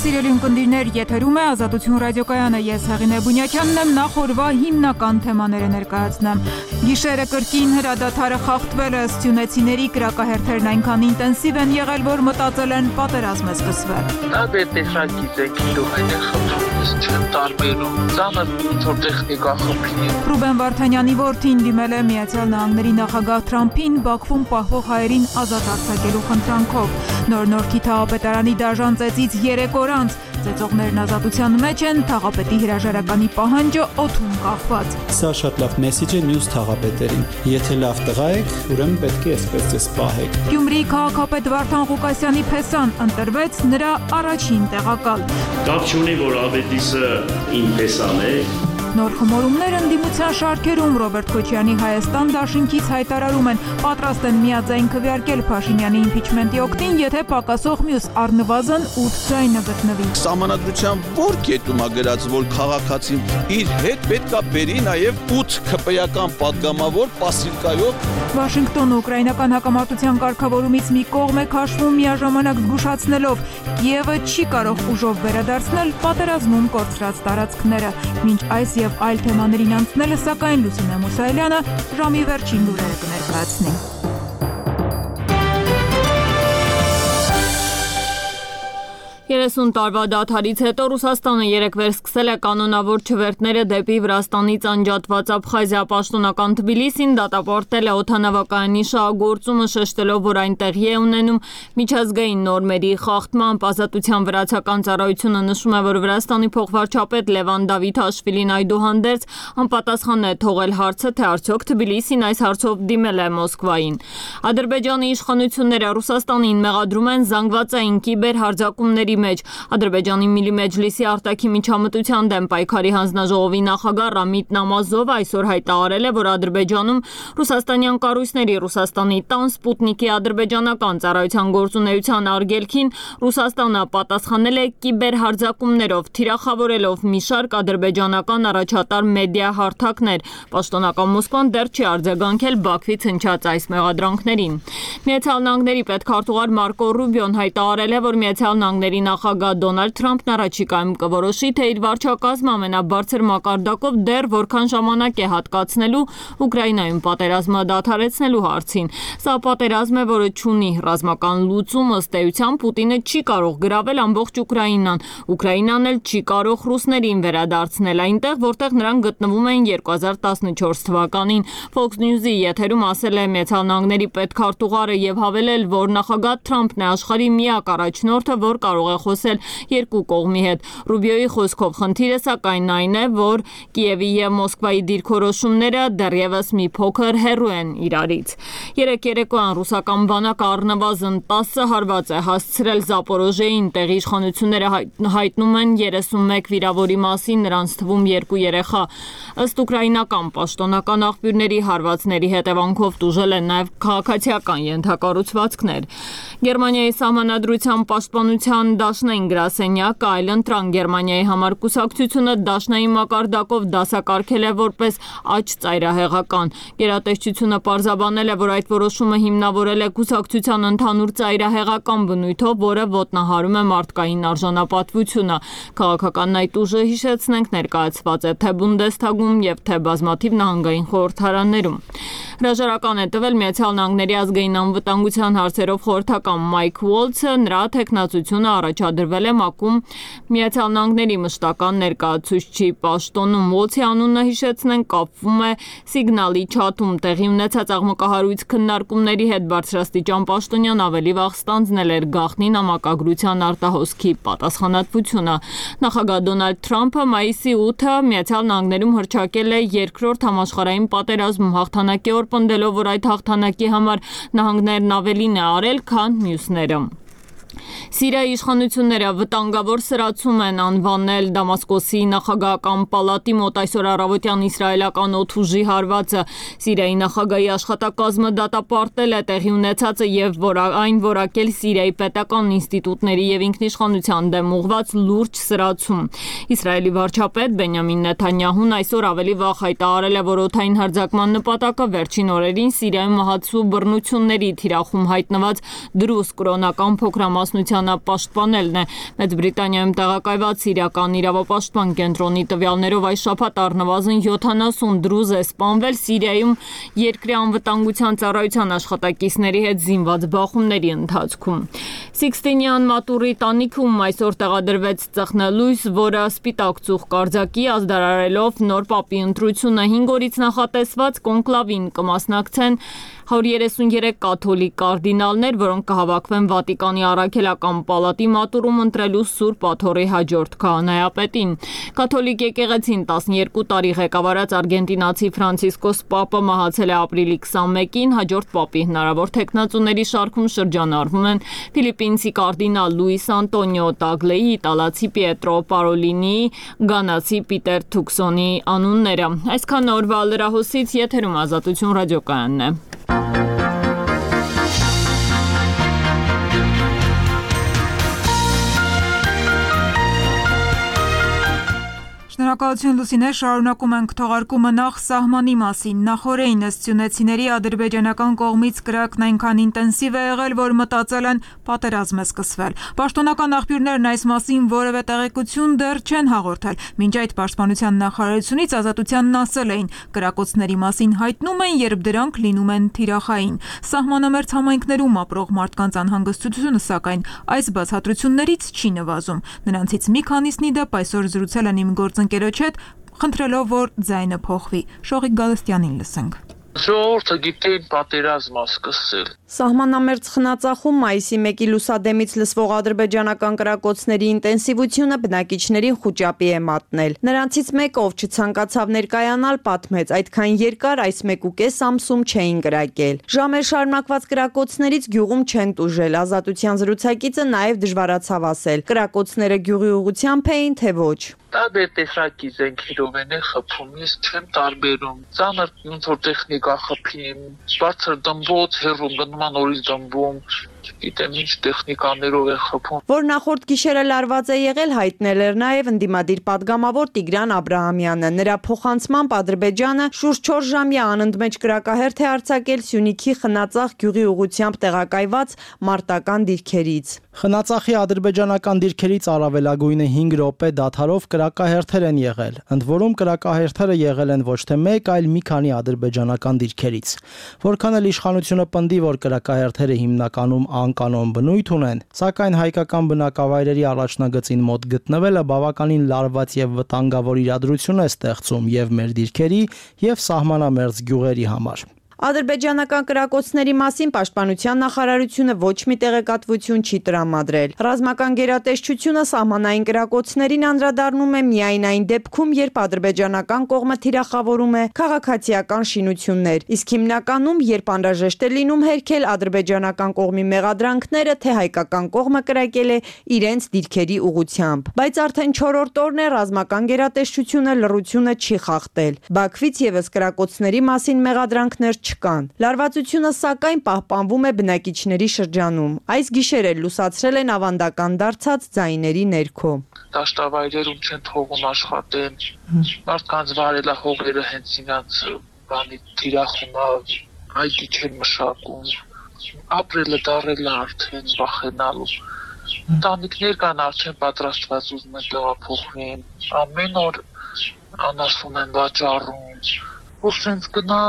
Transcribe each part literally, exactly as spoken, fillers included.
Սիրելի ունկնդիրներ, եթերում է Ազատություն ռադիոկայանը, ես Հեղինե Բունյակյանն եմ, նախորվա հիմնական թեմաները ներկայացնեմ։ Գիշերը կրկին հրադադարը խախտվել է, սյունեցիների կրակահերթերն այնքան ինտենսիվ են եղել, որ մտածել են պատերազմ է սկսվել։ Դա պետք է գիտեք, իրոք խնդրում չեմ տարբերում, ծանր ինչ-որ տեխնիկա խնդրի։ Ռուբեն Վարդանյանի որդին դիմել է Միացյալ Նահանգների նախագահ Թրամփին Բաքվում պահվող հայերին ազատ արձակելու խնդրանքով։ Նոր-Նորքի թաղապետարանի դաժան ծեծից երեք օր անց ծեծողներն ազատության մեջ են, թաղապետի հրաժարականի պահանջը օդում կախված։ Սա շատ լավ մեսիջ է մյուս թաղապետերին։ Եթե լավ տղա եք, ուրեմն պետք է այսպես ձեզ պահեք։ Գյումրիի քաղաքապետ Վարդան Ղուկասյանի փեսան ընտրվեց նրա առաջին տեղակալ։ Կապ չունի, որ Ավետիսը իմ փեսան է։ Նոր խմորումներ ընդդիմության շարքերում Ռոբերտ Քոչյանի Հայաստան դաշինքից հայտարարում են, պատրաստ են միաձայն քվեարկել Փաշինյանի իմպիչմենտի օգտին, եթե պակասող մյուս առնվազն ութ ձայնը գտնվի։ Սահմանադրության որ կետում է գրած, որ քաղաքացին իր հետ պետք է բերի նաև ութ քպեական պատգամավոր պասիվկայով։ Վաշինգտոնը ուկրաինական հակամարտության կարգավորումից մի կողմ է քաշվում, միաժամանակ զգուշացնելով, Կիևը չի կարող ուժով վերադարձնել պատերազմում կորցրած տարածքները։ Մինչ այս եւ այլ թեմաներին անցնելը, սակայն Լուսինե Մուսայելյանը ժամի վերջին լուրերը կներկայացնի։ երեսուն տարվա դադարից հետո Ռուսաստանը երեքվեր սկսել է կանոնավոր չվերթները դեպի Վրաստանից անջատված Աբխազիա, պաշտոնական Թբիլիսին դատապարտել է օդանավակայանի շահագործումը, շեշտելով, որ այն տեղի է ունենում միջազգային նորմերի խախտմամբ։ Ազատության վրացական ծառայությունը նշում է, որ Վրաստանի փոխվարչապետ Լևան Դավիթաշվիլին այդուհանդերձ անպատասխան է թողել հարցը, թե արդյոք Թբիլիսին այս հարցով դիմել է Մոսկվային։ Ադրբեջանի իշխանությունները Ռուսաստանին մեղադրում են զանգվածային կիբերհարձակումների մեջ։ Ադրբեջանի Միլի Մեջլիսի արտաքին միջամտության դեմ պայքարի հանձնաժողովի նախագահ Ռամիտ Նամազովը այսօր հայտարարել է, որ Ադրբեջանում ռուսաստանյան կառույցների Ռուսաստանի տան Սպուտնիկի ադրբեջանական ծառայության գործունեության արգելքին Ռուսաստանը պատասխանել է կիբերհարձակումներով, թիրախավորելով մի շարք ադրբեջանական առաջատար մեդիա հարթակներ։ Պաշտոնական Մոսկվան դեռ չի արձագանքել Բաքվից հնչած այս մեղադրանքներին։ Միացյալ Նահանգների պետքարտուղար Մարկո Ռուբիոն հայտարարել է, որ Միացյալ Նահանգների նախագահ Դոնալդ Թրամփն առաջիկայում կորոշի, թե իր վարչակազմը ամենաբարձր մակարդակով դեռ որքան ժամանակ է հատկացնելու Ուկրաինայում պատերազմը դադարեցնելու հարցին։ Սա պատերազմ է, որը չունի ռազմական լուծում, ըստ էության Պուտինը չի կարող գրավել ամբողջ Ուկրաինան։ Ուկրաինան էլ չի կարող ռուսներին վերադարձնել այնտեղ, որտեղ նրանք գտնվում էին երկու հազար տասնչորս թվականին։ Fox News-ի եթերում ասել է Միացյալ Նահանգների պետքարտուղարը եւ հավելել, որ նախագահ Թրամփն է աշխարհի միակ առաջնորդը, որ կարող է խոսել երկու կողմի հետ։ Ռուբիոյի խոսքով խնդիրը սակայն այն է, որ Կիևի եւ Մոսկվայի դիրքորոշումները դեռևս մի փոքր հեռու են իրարից։ Երեք երեկոյան ռուսական բանակը առնվազն տասը հարված է հասցրել Զապորոժեին, տեղի իշխանությունները հայտնում են երեսունմեկ վիրավորի մասին, նրանց թվում երկու երեխա։ Ըստ ուկրաինական պաշտոնական աղբյուրների հարվածների հետևանքով տուժել են նաեւ քաղաքացիական ենթակառուցվածքներ։ Գերմանիայի սահմանադրության պաշտպանության դաշնային գրասենյակը այլընտրանք Գերմանիայի համար կուսակցությունը դաշնային մակարդակով դասակարգել է որպես աջ ծայրահեղական։ Գերատեսչությունը պարզաբանել է, որ այդ որոշումը հիմնավորել է կուսակցության ընդհանուր ծայրահեղական բնույթով, որը ոտնահարում է մարդկային արժանապատվությունը։ Քաղաքական այդ ուժը, հիշեցնենք, ներկայացված է թե Բունդեսթագում եւ թե բազմաթիվ նահանգային խորհրդարաններում։ Հրաժարական է տվել Միացյալ Նահանգների ազգային անվտանգության հարցերով խորհրդական Մայք Ուոլցը, նրա թեկնածությունը առաջադրվել է ՄԱԿ-ում Միացյալ Նահանգների մշտական ներկայացուցչի պաշտոնում։ Ուոլցի անունը, հիշեցնենք, կապվում է Սիգնալի չաթում տեղի ունեցած աղմկահարույց քննարկումների հետ։ Բարձրաստիճան պաշտոնյան ավելի վաղ ստանձնել էր գաղտնի նամակագրության արտահոսքի պատասխանատվությունը։ Նախագահ Դոնալդ Թրամփը մայիսի ութը Միացյալ Նահանգներում հռչակել է երկրորդ համաշխարհային պատերազմում հաղթանակի օր, պնդելով, որ այդ հաղթանակի համար նահանգներն ավելին է արել, քան մյուսները։ Սիրիայի իշխանությունները վտանգավոր սրացում են անվանել Դամասկոսի նախագահական պալատի մոտ այսօր առավոտյան իսրայելական օդուժի հարվածը։ Սիրիայի նախագահի աշխատակազմը դատապարտել է տեղի ունեցածը եւ որ այն որակել Սիրիայի պետական ինստիտուտների եւ ինքնիշխանության դեմ ուղղված լուրջ սրացում։ Իսրայելի վարչապետ Բենյամին Նեթանյահուն այսօր ավելի վաղ հայտարարել է, որ օդային հարձակման նպատակը վերջին օրերին Սիրիայում մահացու բռնությունների թիրախում հայտնված դրուզ կրոնական փոքրամասնության բանապաշտպանելն է։ Մեծ Բրիտանիայում տեղակայված Սիրիական իրավապաշտպան կենտրոնի տվյալներով այս շաբաթ առնվազն յոթանասուն դրուզ է սպանվել Սիրիայում երկրի անվտանգության ծառայության աշխատակիցների հետ զինված բախումների ընթացքում։ Սիքստինյան մատուրի տանիքում այսօր տեղադրվեց ծխնելույս, որը սպիտակ ծուխ կարձակի ազդարարելով նոր պապի ընտրությունը հինգ օրից նախատեսված կոնկլավին կմասնակցեն հարյուր երեսուներեք կաթոլիկ կարդինալներ, որոնք կհավաքվեն Վատիկանի առաքելական պալատի մատուրում ընտրելու Սուրբ Աթոռի հաջորդ քահանայապետին։ Կաթոլիկ եկեղեցին տասնյոթ տարի ղեկավարած արգենտինացի Ֆրանցիսկոս Պապը մահացել է ապրիլի քսանմեկին, հաջորդ պապի հնարավոր թեկնածուների շարքում շրջանառվում են ֆիլիպինցի կարդինալ Լուիս Անտոնիո Տագլեի, իտալացի Պիետրո Պարոլինիի, գանացի Պիտեր Թուքսոնի անունները։ Այսքան օրվա լրահոսից եթերում Ազատություն ռադիոկայանն է։ Շնորհակալություն Լուսինե, շարունակում ենք թողարկումը նախ սահմանի մասին։ Նախօրեին ըստ սյունեցիների ադրբեջանական կողմից կրակն այնքան ինտենսիվ է եղել, որ մտածել են պատերազմ է սկսվել։ Պաշտոնական աղբյուրներն այս մասին որևէ տեղեկություն դեռ չեն հաղորդել։ Մինչ այդ պաշտպանության նախարարությունից Ազատությանն ասել էին, կրակոցների մասին հայտնում են, երբ դրանք լինում են թիրախային։ Սահմանամերձ համայնքներում ապրող մարդկանց անհանգստությունը, սակայն, այս բացատրություններից չի նվազում։ Նրանցից մի քանիսնի դեպ այսօր զրուցել են իմ գործընկերոջ հետ, խնդրելով, որ ձայնը փոխվի։ Շողիկ Գալստյանին լսենք։ Ժողովուրդը գիտեն պատերազմ սկսել։ Սահմանամերձ խնածախում մայիսի մեկի լուսադեմից լսվող ադրբեջանական կրակոցների ինտենսիվությունը բնակիչներին խուճապի է մատնել։ Նրանցից մեկը, ով չցանկացավ ներկայանալ, պատմեց, այդքան երկար այս մեկ ու կես ամսում չէին կրակել։ Ժամեր շարունակված կրակոցներից գյուղում չեն տուժել։ Ազատության զրուցակիցը նաև դժվարացավ ասել, կրակոցները գյուղի ուղղությամբ էին, թե ոչ։ Տարբեր տեսակի զենքերով են խփում, ես չեմ տարբերում։ Ծանր ոնց որ տեխնիկա խփին, բարձր դմբոց, հեռու գնում նորից դմբում, գիտեմ ինչ տեխնիկաներով է խփում։ Որ նախորդ գիշերը լարված է եղել, հայտնել էր նաև ընդդիմադիր պատգամավոր Տիգրան Աբրահամյանը։ Նրա փոխանցմամբ Ադրբեջանը շուրջ չորս ժամյա անընդմեջ կրակահերթ է արձակել Սյունիքի Խնածախ գյուղի ուղղությամբ տեղակայված մարտական դիրքերից։ Խնածախի ադրբեջանական դիրքերից առավելագույնը հինգ րոպե դադարով կրակահերթեր են եղել։ Ընդ որում կրակահերթերը եղել են ոչ թե մեկ, այլ մի քանի ադրբեջանական դիրքերից։ Որքան էլ իշխանությունը պնդի, որ կրակահերթերը հիմնականում անկանոն բնույթ ունեն, սակայն հայկական բնակավայրերի առաջնագծին մոտ գտնվելը բավականին լարված եւ վտանգավոր իրադրություն է ստեղծում եւ մեր դիրքերի եւ սահմանամերձ գյուղերի համար։ Ադրբեջանական կրակոցների մասին պաշտպանության նախարարությունը ոչ մի տեղեկատվություն չի տրամադրել։ Ռազմական գերատեսչությունը սահմանային կրակոցներին անդրադառնում է միայն այն դեպքում, երբ ադրբեջանական կողմը թիրախավորում է քաղաքացիական շինություններ, իսկ հիմնականում, երբ անհրաժեշտ է լինում հերքել ադրբեջանական կողմի մեղադրանքները, թե հայկական կողմը կրակել է իրենց դիրքերի ուղղությամբ։ Բայց արդեն չորրորդ օրն է ռազմական գերատեսչությունը լռությունը չի խախտել։ Բաքվից եւս կրակոցների մասին մեղադրանքներ չկան։ Լարվածությունը սակայն պահպանվում է բնակիչների շրջանում։ Այս գիշեր էլ լուսացրել են ավանդական դարձած ձայների ներքո։ Դաշտավայրերում չեն թողում աշխատեն, մարդկանց վարելահողերը հենց իրաց բանի թիրախումա այգի չեն մշակում, ապրելը դարել արդեն վախենալու։ Ընտանիքներ կան արդեն պատրաստված ուզում են տեղափոխվեն, ամեն օր անասուն են վաճառում, որ սենց գնա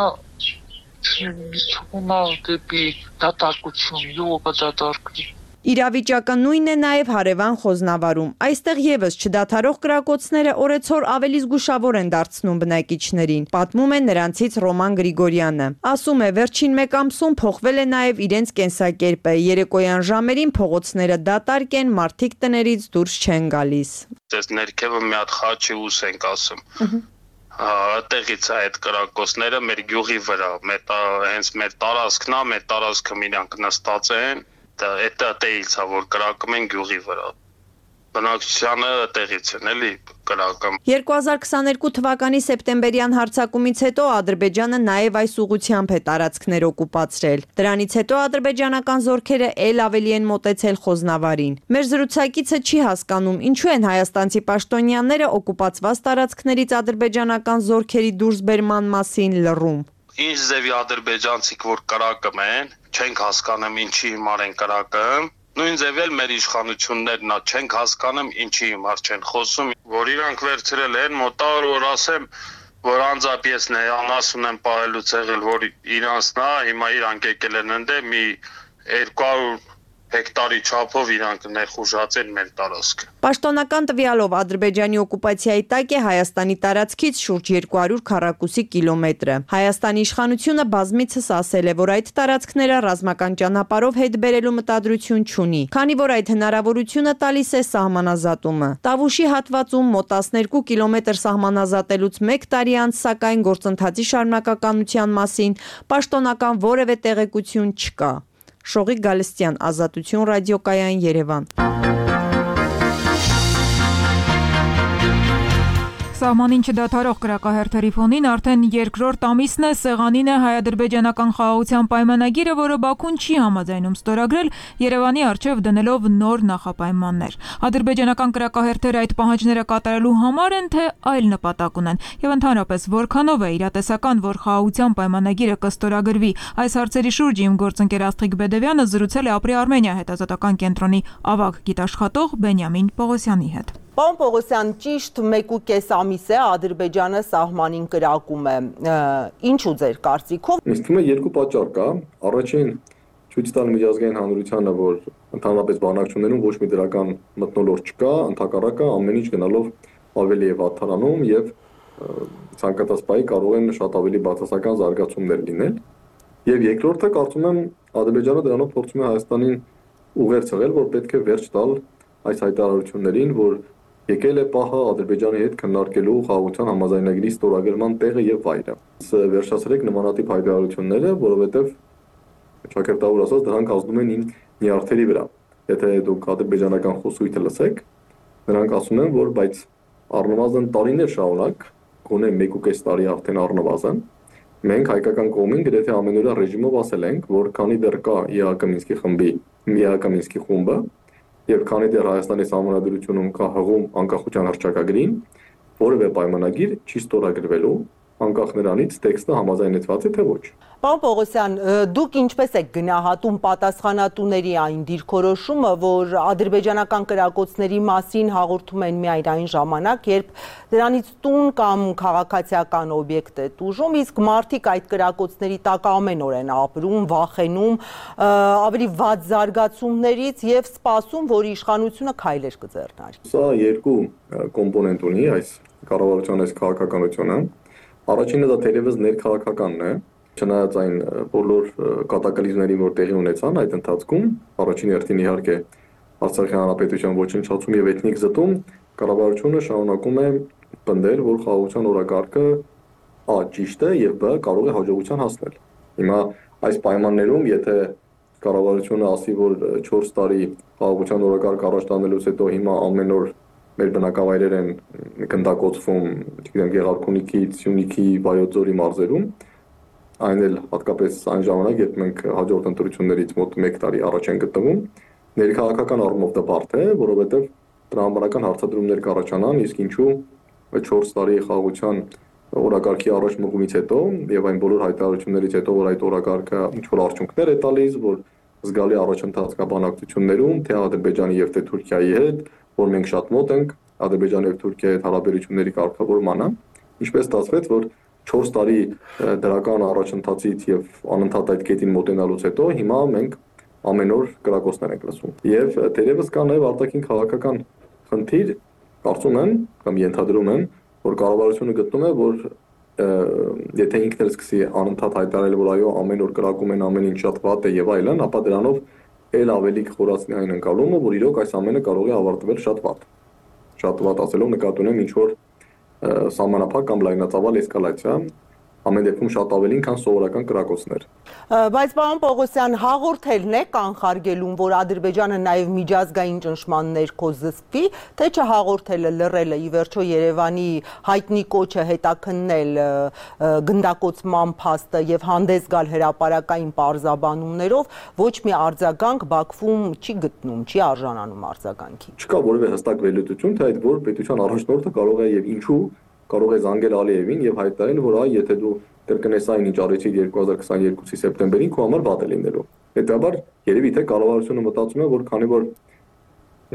Չունա դեպի դատարկություն, յուղը դատարկվի։ Իրավիճակը նույնն է նաև հարևան Խոզնավարում։ Այստեղ եւս չդադարող կրակոցները օրեցօր ավելի զգուշավոր են դարձնում բնակիչներին, պատմում է նրանցից Ռոման Գրիգորյանը։ Ասում է, վերջին մեկ ամսում փոխվել է նաև իրենց կենսակերպը։ Երեկոյան ժամերին փողոցները դատարկ են, մարդիկ տներից դուրս չեն գալիս։ Դες ներքևը մի հատ խաչի ուս ենք ասում։ Տեղից է այդ կրակոցները մեր գյուղի վրա, հենց մեր տարածքն է, մեր տարածքը միրանք նստած են, այդ տեղից է, որ կրակում են գյուղի վրա։ Բնակչությանը տեղից են էլի կրակում։ երկու հազար քսաներկու թվականի սեպտեմբերյան հարձակումից հետո Ադրբեջանը նաև այս ուղղությամբ է տարածքներ օկուպացրել։ Դրանից հետո ադրբեջանական զորքերը ել ավելի են մոտեցել Խոզնավարին։ Մեր զրուցակիցը չի հասկանում, ինչու են հայաստանցի պաշտոնյաները օկուպացված տարածքներից ադրբեջանական զորքերի դուրսբերման մասին լռում։ Ինչ ձևի ադրբեջանցիք որ կրակում են, չենք հասկանում ինչի հիմար են կրակում։ Նույն ձևել մեր իշխանություններն ա չենք հասկանում ինչի հիմար չեն խոսում, որ իրանք վերցրել են մոտավոր որ ասեմ, որ անձապիեսն է անասուն են պահելուց եղել, որ իրանցն է, հիմա իրանք եկել են ընդե մի երկու հարյուր հեկտարի չափով իրանք ներխուժացել մեր տարածքը։ Պաշտոնական տվյալով Ադրբեջանի օկուպացիայի տակ է Հայաստանի տարածքից շուրջ երկու հարյուր քառակուսի կիլոմետրը։ Հայաստանի իշխանությունը բազմիցս ասել է, որ այդ տարածքները ռազմական ճանապարհով հետ բերելու մտադրություն չունի, քանի որ այդ հնարավորությունը տալիս է սահմանազատումը։ Տավուշի հատվածում մոտ տասներկու կիլոմետր սահմանազատելուց մեկ տարի անց, սակայն գործընթացի շարունակականության մասին պաշտոնական որևէ տեղեկություն չկա։ Շողիկ Գալստյան, Ազատություն ռադիոկայան, Երևան։ Սահմանին չդադարող կրակահերթերի ֆոնին արդեն երկրորդ ամիսն է սեղանին է հայ-ադրբեջանական խաղաղության պայմանագիրը, որը Բաքուն չի համաձայնում ստորագրել, Երևանի առջև դնելով նոր նախապայմաններ։ Ադրբեջանական կրակահերթերը այդ պահանջները կատարելու համար են, թե այլ նպատակ ունեն, եւ ընդհանրապես որքանով է իրատեսական, որ խաղաղության պայմանագիրը կստորագրվի։ Այս հարցերի շուրջ իմ գործընկեր Աստղիկ Բեդևյանը զրուցել է Ապրի Արմենիա հետազոտական կենտրոնի ավագ գիտաշխատող Բենյամին Պողոսյանի հետ։ Պարոն Պողոսյան, ճիշտ մեկ ու կես ամիս է Ադրբեջանը սահմանին կրակում է։ Ինչու ձեր կարծիքով։ Ինձ թվում է երկու պատճառ կա։ Առաջին ցույց տալ միջազգային հանրությանը, որ ընդհանրապես բանակցություններում ոչ մի դրական մթնոլորտ չկա, ընդհակառակը ամեն ինչ գնալով ավելի է վատթարանում եւ ցանկացած պահի կարող են շատ ավելի բացասական զարգացումներ լինել։ Եվ երկրորդը կարծում եմ Ադրբեջանը դրանով փորձում է Հայաստանին ուղերձ ցղել, որ պետք է վերջ տալ այս հայտարարություններին, որ եկել է պահը Ադրբեջանի հետ քննարկելու խաղաղության համաձայնագրի ստորագրման տեղը եւ վայրը։ Վերջացրեք նմանատիպ հայտարարությունները, որովհետեւ ճակերտավոր ասած դրանք ազդում են նյարդերի վրա։ Եթե դուք ադրբեջանական խոսույթը լսեք, նրանք ասում են, որ բայց առնվազն տարիներ շարունակ, գոնե մեկ ու կես տարի արդեն առնվազն, մենք հայկական կողմին գրեթե ամենօրյա ռեժիմով ասել ենք, որ քանի դեռ կա ԵԱՀԿ Մինսկի խմբի, ԵԱՀԿ Մինսկի խումբը, եւ քանի դեռ Հայաստանի Սահմանադրությունում կա հղում անկախության հռչակագրին, որևէ պայմանագիր չի ստորագրվելու, անկախ նրանից տեքստը համաձայնեցված է թե ոչ։ Պարոն Պողոսյան, դուք ինչպես եք գնահատում պատասխանատուների այն դիրքորոշումը, որ ադրբեջանական կրակոցների մասին հաղորդում են միայն այն ժամանակ, երբ դրանից տուն կամ քաղաքացիական օբյեկտ է տուժում, իսկ մարդիկ այդ կրակոցների տակ ամեն օր են ապրում, վախենում ավելի վատ զարգացումներից եւ սպասում, որ իշխանությունը քայլեր կձեռնարկի։ Սա երկու կոմպոնենտ ունի այս կառավարության այս քաղաքականությունը։ Առաջինը դա թերևս ներքաղաքականն է, չնայած այն բոլոր կատակլիզմներին, որ տեղի ունեցան այդ ընթացքում, առաջին հերթին իհարկե Արցախի հանրապետության ոչնչացում եւ էթնիկ զտում, կառավարությունը շարունակում է պնդել, որ խաղաղության օրակարգը ա ճիշտ է եւ բ կարող է հաջողության հասնել։ Հիմա այս պայմաններում, եթե կառավարությունը ասի, որ չորս տարի խաղաղության օրակարգ առաջ տանելուց հետո հիմա ամեն օր մեր բնակավայրեր են գնդակոծվում, չգիտեմ, Գեղարքունիքից, Սյունիքի, Վայոց ձորի մարզերում, այն էլ հատկապես այն ժամանակ, երբ մենք հաջորդ ընտրություններից մոտ մեկ տարի առաջ են գտնվում, ներքաղաքական առումով դա բարդ է, որովհետև տրամաբանական հարցադրումներ կառաջանան, իսկ ինչու չորս տարի խաղաղության օրակարգի առաջ մղումից հետո եւ այն բոլոր հայտարարություններից հետո, որ այդ օրակարգը ինչ որ արդյունքներ է տալիս, որ զգալի առաջընթաց կա բանակցություններում, թե Ադրբեջանի եւ թե Թուրքիայի հետ, որ մենք շատ մոտ ենք Ադրբեջանի եւ Թուրքիայի հետ հարաբերությունների կարգավորմանը, ինչպես ստացվեց, որ չորս տարի դրական առաջընթացից եւ անընդհատ այդ կետին մոտենալուց հետո հիմա մենք ամեն օր կրակոցներ ենք լսում։ Եվ թերևս կա նաեւ արտաքին քաղաքական խնդիր, կարծում եմ կամ ենթադրում եմ, որ կառավարությունը գտնում է, որ եթե ինքն էլ սկսի անընդհատ հայտարարել, որ այո, ամեն օր կրակում են, ամեն ինչ շատ վատ է եւ այլն, ապա դրանով էլ ավելի կխորացնի այն ընկալումը, որ իրոք այս ամենը կարող է ավարտվել շատ վատ։ Շատ վատ ասելով նկատի ունեմ ինչ որ սահմանափակ կամ լայնածավալ էսկալացիա, ամեն դեպքում շատ ավելին, քան սովորական կրակոցներ։ Բայց պարոն Պողոսյան, հաղորդելն է կանխարգելում, որ Ադրբեջանը նաև միջազգային ճնշման ներքո զսպվի, թե չհաղորդելը, լռելը, ի վերջո Երևանի հայտնի կոչը հետաքննել գնդակոծման փաստը եւ հանդես գալ հրապարակային պարզաբանումներով, ոչ մի արձագանք Բաքվում չի գտնում, չի արժանանում արձագանքի։ Չկա որևէ հստակ վերլուծություն, թե այդ որ պետության առաջնորդը կարող է եւ ինչու կարող է զանգել Ալիևին եւ հայտարարել, որ այ եթե դու կրկնես այն ինչ արեցիր երկու հազար քսաներկուսի սեպտեմբերին, քո համար վատ է լինելու։ Հետաբար երևի թե կառավարությունը մտածում է, որ քանի որ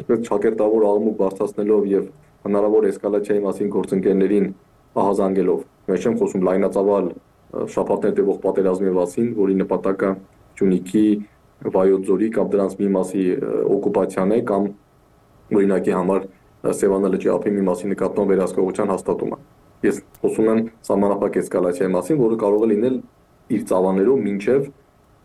այսպես ճակերտավոր աղմուկ բարձրացնելով եւ հնարավոր էսկալացիայի մասին գործընկերներին ահազանգելով, ես չեմ խոսում լայնածավալ շաբաթներ տևող պատերազմի մասին, որի նպատակը Գյումրիքի, Վայոց ձորի կամ դրանց մի մասի օկուպացիան է կամ օրինակի համար Սևանա լճի ափի մի մասի նկատմամբ վերահսկողության հաստատումը։ Ես խոսում եմ սահմանափակ էսկալացիայի մասին, որը կարող է լինել իր ծավալներով մինչև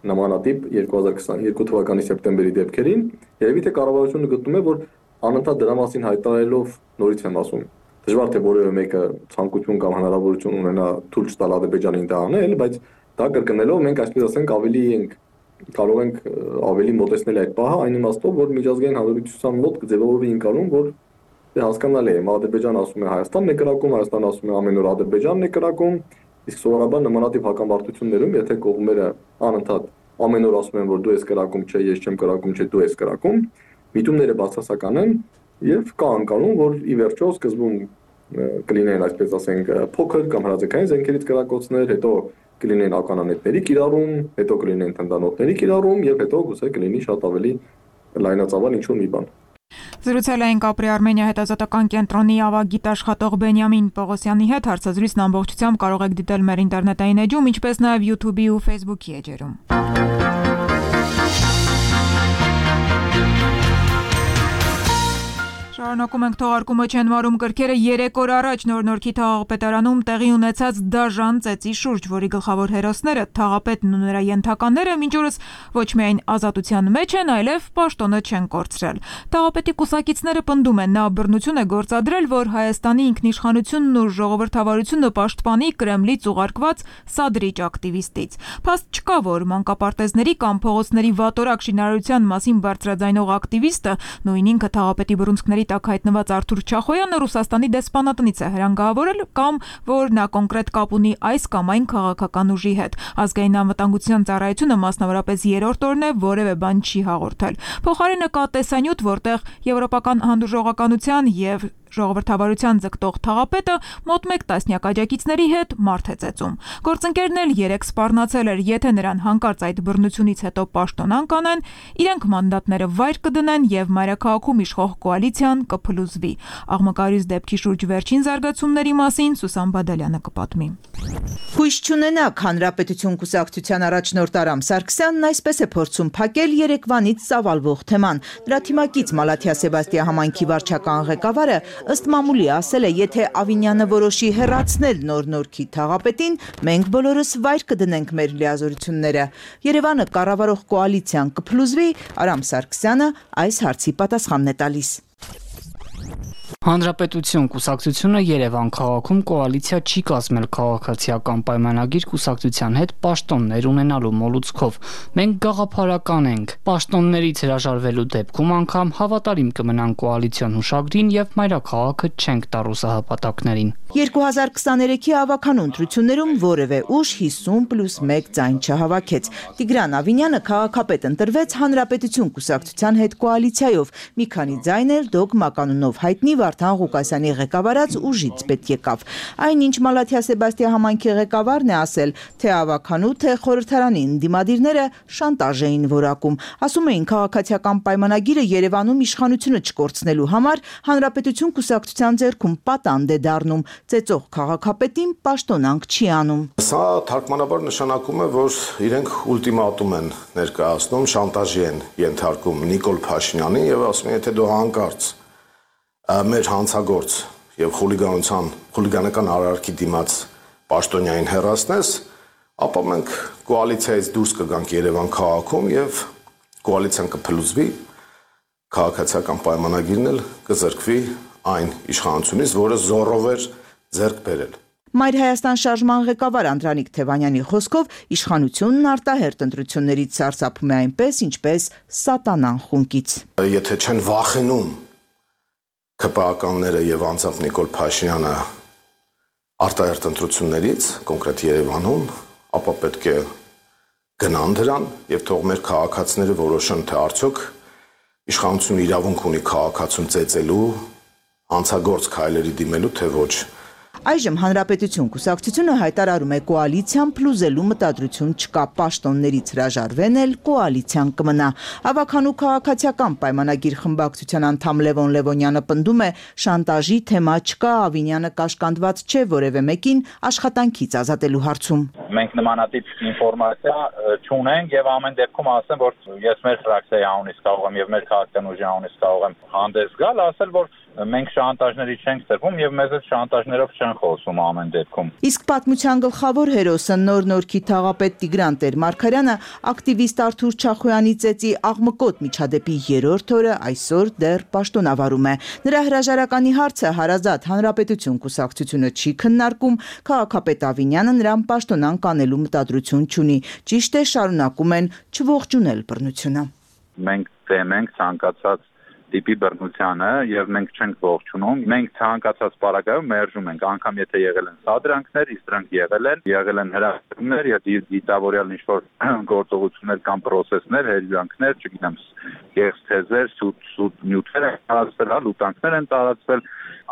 նմանատիպ երկու հազար քսաներկու թվականի սեպտեմբերի դեպքերին, երևի թե կառավարությունը գտնում է, որ անընդհատ դրա մասին հայտարարելով նորից եմ ասում, դժվար թե որևէ մեկը ցանկություն կամ հնարավորություն ունենա թույլ չտալ Ադրբեջանին դա անել, բայց դա կրկնելով մենք այսպես ասենք ավելի ենք կարող ենք ավելի մոտեցնել այդ պահը այն իմաստով, որ միջազգային հանրության մոտ կձևավորվի ընկալում, որ հասկանալի է, Ադրբեջանը ասում է Հայաստանն է կրակում, Հայաստանը ասում է ամեն օր Ադրբեջանն է կրակում, իսկ սովորաբար նմանատիպ հակամարտություններում, եթե կողմերը անընդհատ ամեն օր ասում են, որ դու ես կրակում, չէ, ես չեմ կրակում, չէ, դու ես կրակում, միտումները բացասական են եւ կա անկալում, որ ի վերջո սկզբում կլինեն, այսպես ասենք, փոքր կամ հրաձգային զենքերից կրակոցներ, հետո կլինեն ականանետների կիրառում, հետո կլինեն թնդանոթների կիրառում եւ հետո գուցե կլինի շատ ավելի լայնածավալ ինչ-որ մի բան։ Զրուցել էին Կապրի Արմենիա հետազոտական կենտրոնի ավագ գիտաշխատող Բենյամին Պողոսյանի հետ, հարցազրույցն ամբողջությամբ կարող եք դիտել մեր ինտերնետային էջում, ինչպես նաև YouTube-ի ու Facebook-ի էջերում։ Շարունակում ենք թողարկումը չեն վարում կրքերը երեք օր առաջ Նոր-Նորքի թաղապետարանում տեղի ունեցած դաժան ծեծի շուրջ, որի գլխավոր հերոսները թաղապետն ու նրա ենթակաները մինչ օրս ոչ միայն ազատության մեջ են, այլև պաշտոնը չեն կորցրել։ Թաղապետի կուսակիցները պնդում են, նա բռնություն է գործադրել, որ Հայաստանի ինքնիշխանությունն ու ժողովրդավարությունը պաշտպանի Կրեմլից ուղարկված սադրիչ ակտիվիստից։ Փաստ չկա, որ մանկապարտեզների կամ փողոցների վատորակ շինարարության մասին բարձրաձայնող ակտիվիստը նույն ինքը թաղապետի բռունցքների տակ հայտնված Արթուր Չախոյանը Ռուսաստանի դեսպանատնից է հրանգավորել կամ որ նա կոնկրետ կապ ունի այս կամ այն քաղաքական ուժի հետ։ Ազգային անվտանգության ծառայությունը մասնավորապես երրորդ օրն է որևէ բան չի հաղորդել։ Փոխարենը կա տեսանյութ, որտեղ եվրոպական հանդուրժողականության եւ ժողովրդավարության ձգտող թաղապետը մոտ մեկ տասնյակ աջակիցների հետ մարդ է ծեծում։ Գործընկերն էլ երեք սպառնացել էր, եթե նրան հանկարծ այդ բռնությունից հետո պաշտոնան կանեն, իրենք մանդատները վայր կդնեն եւ մայրաքաղաքում իշխող կոալիցիան կփլուզվի։ Աղմկարյուծ դեպքի շուրջ վերջին զարգացումների մասին Սուսան Բադալյանը կպատմի։ Հույս չունենաք, Հանրապետություն կուսակցության առաջնորդ Արամ Սարգսյանն այսպես է փորձում փակել երեկվանից ծավալվող թեման։ Դրա թիմակից Մալաթիա Սեբաստիա համայնքի վարչական ղեկավարը ըստ մամուլի ասել է, եթե Ավինյանը որոշի հեռացնել Նոր-Նորքի թաղապետին, մենք բոլորս վայր կդնենք մեր լիազորությունները։ Երևանը կառավարող կոալիցիան կփլուզվի, Արամ Սարգսյանը այս հարցի պատասխանն է տալիս։ Հանրապետություն կուսակցությունը Երևան քաղաքում կոալիցիա չի կազմել քաղաքացիական պայմանագիր կուսակցության հետ պաշտոններ ունենալու մոլուցքով։ Մենք գաղափարական ենք։ Պաշտոններից հրաժարվելու դեպքում անգամ հավատարիմ կմնանք կոալիցիոն հուշագրին եւ մայրաքաղաքը չենք տա ռուսահպատակներին։ երկու հազար քսաներեքի ավականու ընտրություններում որևէ ուժ հիսուն պլյուս մեկ ձայն չհավաքեց։ Տիգրան Ավինյանը քաղաքապետ ընտրվեց Հանրապետություն կուսակցության հետ կոալիցիայով։ Մի քանի ձայն էլ դոգմա կանոնով հայտնի Վարդան Ղուկասյանի ղեկավարած ուժից պետք եկավ։ Այնինչ Մալաթիա Սեբաստիա համայնքի ղեկավարն է ասել, թե ավականու, թե խորհրդարանի ընդդիմադիրները շանտաժ էին որակում։ Ասում էին քաղաքացիական պայմանագիրը Երևանում իշխանությունը չկորցնելու համար Հանրապետություն կուսակցության ձեռքում պատանդ է դառնում, ծեծող քաղաքապետին պաշտոնանք չի անում։ Սա թարգմանաբար նշանակում է, որ իրենք ուլտիմատում են ներկայացնում, շանտաժի են ենթարկում Նիկոլ Փաշինյանին եւ ասում են, եթե դու հանկարծ մեր հանցագործ եւ խուլիգանության խուլիգանական արարքի դիմաց պաշտոնյային հեռացնես, ապա մենք կոալիցիայից դուրս կգանք Երևան քաղաքում եւ կոալիցիան կփլուզվի, քաղաքացիական պայմանագիրն էլ կզրկվի այն իշխանությունից, որը զորով էր ձեռք բերել։ Մայր Հայաստան շարժման ղեկավար Անդրանիկ Թևանյանի խոսքով իշխանությունն արտահերտ ընտրություններից սարսափում է այնպես, ինչպես սատանան խունկից։ Եթե չեն վախենում ՔՊԱ-ականները եւ անձամբ Նիկոլ Փաշինյանը արտահերտ ընտրություններից, կոնկրետ Երևանում, ապա պետք է գնան դրան եւ թող մեր քաղաքացիները որոշեն, թե արդյոք իշխանությունը իրավունք ունի քաղաքացուն ծեծելու, հանցագործ քայլերի դիմելու, թե ոչ։ Այժմ Հանրապետություն կուսակցությունը հայտարարում է կոալիցիան փլուզելու մտադրություն չկա, պաշտոններից հրաժարվեն էլ կոալիցիան կմնա։ Ավագանու քաղաքացիական պայմանագիր խմբակցության անդամ Լևոն Լևոնյանը պնդում է, շանտաժի թեմա չկա, Ավինյանը կաշկանդված չէ որևէ մեկին աշխատանքից ազատելու հարցում։ Մենք նմանատիպ ինֆորմացիա չունենք եւ ամեն դեպքում ասեմ, որ ես մեր ֆրակցիայի անունից կարող եմ եւ մեր քաղաքական ուժի անունից կարող եմ հանդես գալ, ասել, որ մենք շանտաժների չենք ծրվում եւ մեզ այդ շանտաժներով չեն խոսում ամեն դեպքում։ Իսկ պատմության գլխավոր հերոսը Նոր Նորքի թաղապետ Տիգրան Տեր-Մարգարյանը ակտիվիստ Արթուր Չախոյանի ծեծի աղմկոտ միջադեպի երրորդ օրը այսօր դեռ պաշտոնավարում է։ Նրա հրաժարականի հարցը հարազատ Հանրապետություն կուսակցությունը չի քննարկում, քաղաքապետ Ավինյանը նրան պաշտոնանկ անելու մտադրություն չունի։ Ճիշտ է, շարունակում են չողջունել բռնությունը։ Մենք դեմ ենք ցանկացած տիպի բռնությանը եւ մենք չենք ողջունում։ Մենք ցանկացած պարագայում մերժում ենք, անգամ եթե եղել են սադրանքներ, իսկ դրանք եղել են, եղել են հրավերներ եւ դիտավորյալ ինչ-որ գործողություններ կամ պրոցեսներ, հերյանքներ, չգիտեմ, գեղձեզեր, սուտ սուտ նյութեր են տարածվել, լուտանքներ են տարածվել,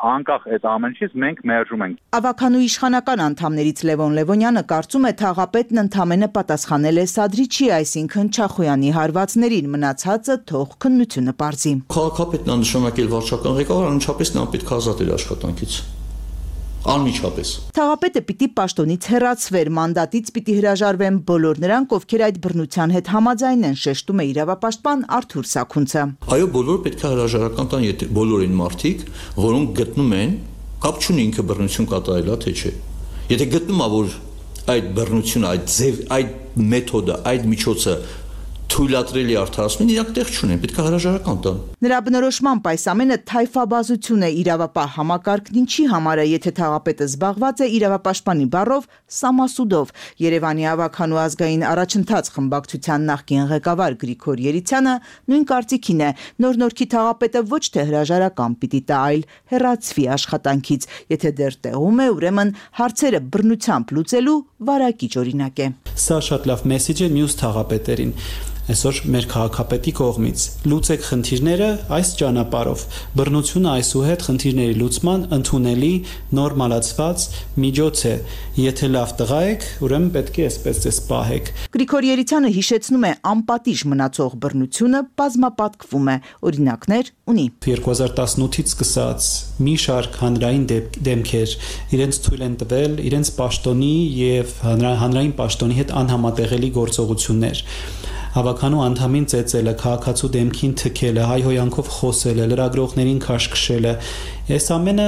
անկախ այդ ամենից մենք մերժում ենք։ Ավագանու իշխանական անդամներից Լևոն Լևոնյանը կարծում է թաղապետն ընդամենը պատասխանել է Սադրիչի, այսինքն Չախոյանի հարվածներին, մնացածը թող քննությունը պարզի։ Քաղաքապետն անշանակել վարչական ղեկավար անմիջապես նա պետք է ազատել աշխատանքից։ Անմիջապես։ Թաղապետը պիտի պաշտոնից հեռացվեր, մանդատից պիտի հրաժարվեն բոլոր նրանք, ովքեր այդ բռնության հետ համաձայն են, շեշտում է իրավապաշտպան Արթուր Սաքունցը։ Այո, բոլորը պետք է հրաժարական տան, եթե բոլոր այն մարդիկ, որոնք գտնում են, կապ չունի ինքը բռնություն կատարելա թե չէ։ Եթե գտնում է, որ այդ բռնությունը, այդ ձև, այդ մեթոդը, այդ միջոցը թույլատրելի արդարացումին իրանք տեղ չունեն, պետք է հրաժարական տան։ Նրա բնորոշմամբ այս ամենը թայֆաբազություն է, իրավապահ համակարգն ինչի համար է, եթե թաղապետը զբաղված է իրավապաշտպանի բառով սամասուդով։ Երևանի ավագանու ազգային առաջընթաց խմբակցության նախկին ղեկավար Գրիգոր Երիցյանը նույն կարծիքին է։ Նոր Նորքի թաղապետը ոչ թե հրաժարական պիտի տա, այլ հեռացվի աշխատանքից։ Եթե դեռ տեղում է, ուրեմն հարցերը բռնությամբ լուծելու վարակիչ օրինակ է։ Սա շատ լավ մեսեջ է մյուս թաղապետերին։ Այսօր մեր քաղաքապետի կողմից լուծեք խնդիրները այս ճանապարհով։ Բռնությունը այսուհետ խնդիրների լուծման ընդունելի նորմալացված միջոց է։ Եթե լավ տղա եք, ուրեմն պետք է այսպես դες պահեք։ Գրիգոր Երիցյանը հիշեցնում է, անպատիժ մնացող բռնությունը բազմապատկվում է, օրինակներ ունի։ երկու հազար տասնութից սկսած մի շարք հանրային դեմքեր իրենց թույլ են տվել իրենց պաշտոնի եւ հանրային պաշտոնի հետ անհամատեղելի գործողություններ։ Հավաքանու անդամին ծեծելը, քաղաքացու դեմքին թքելը, հայհոյանքով խոսելը, լրագրողներին քաշքշելը, այս ամենը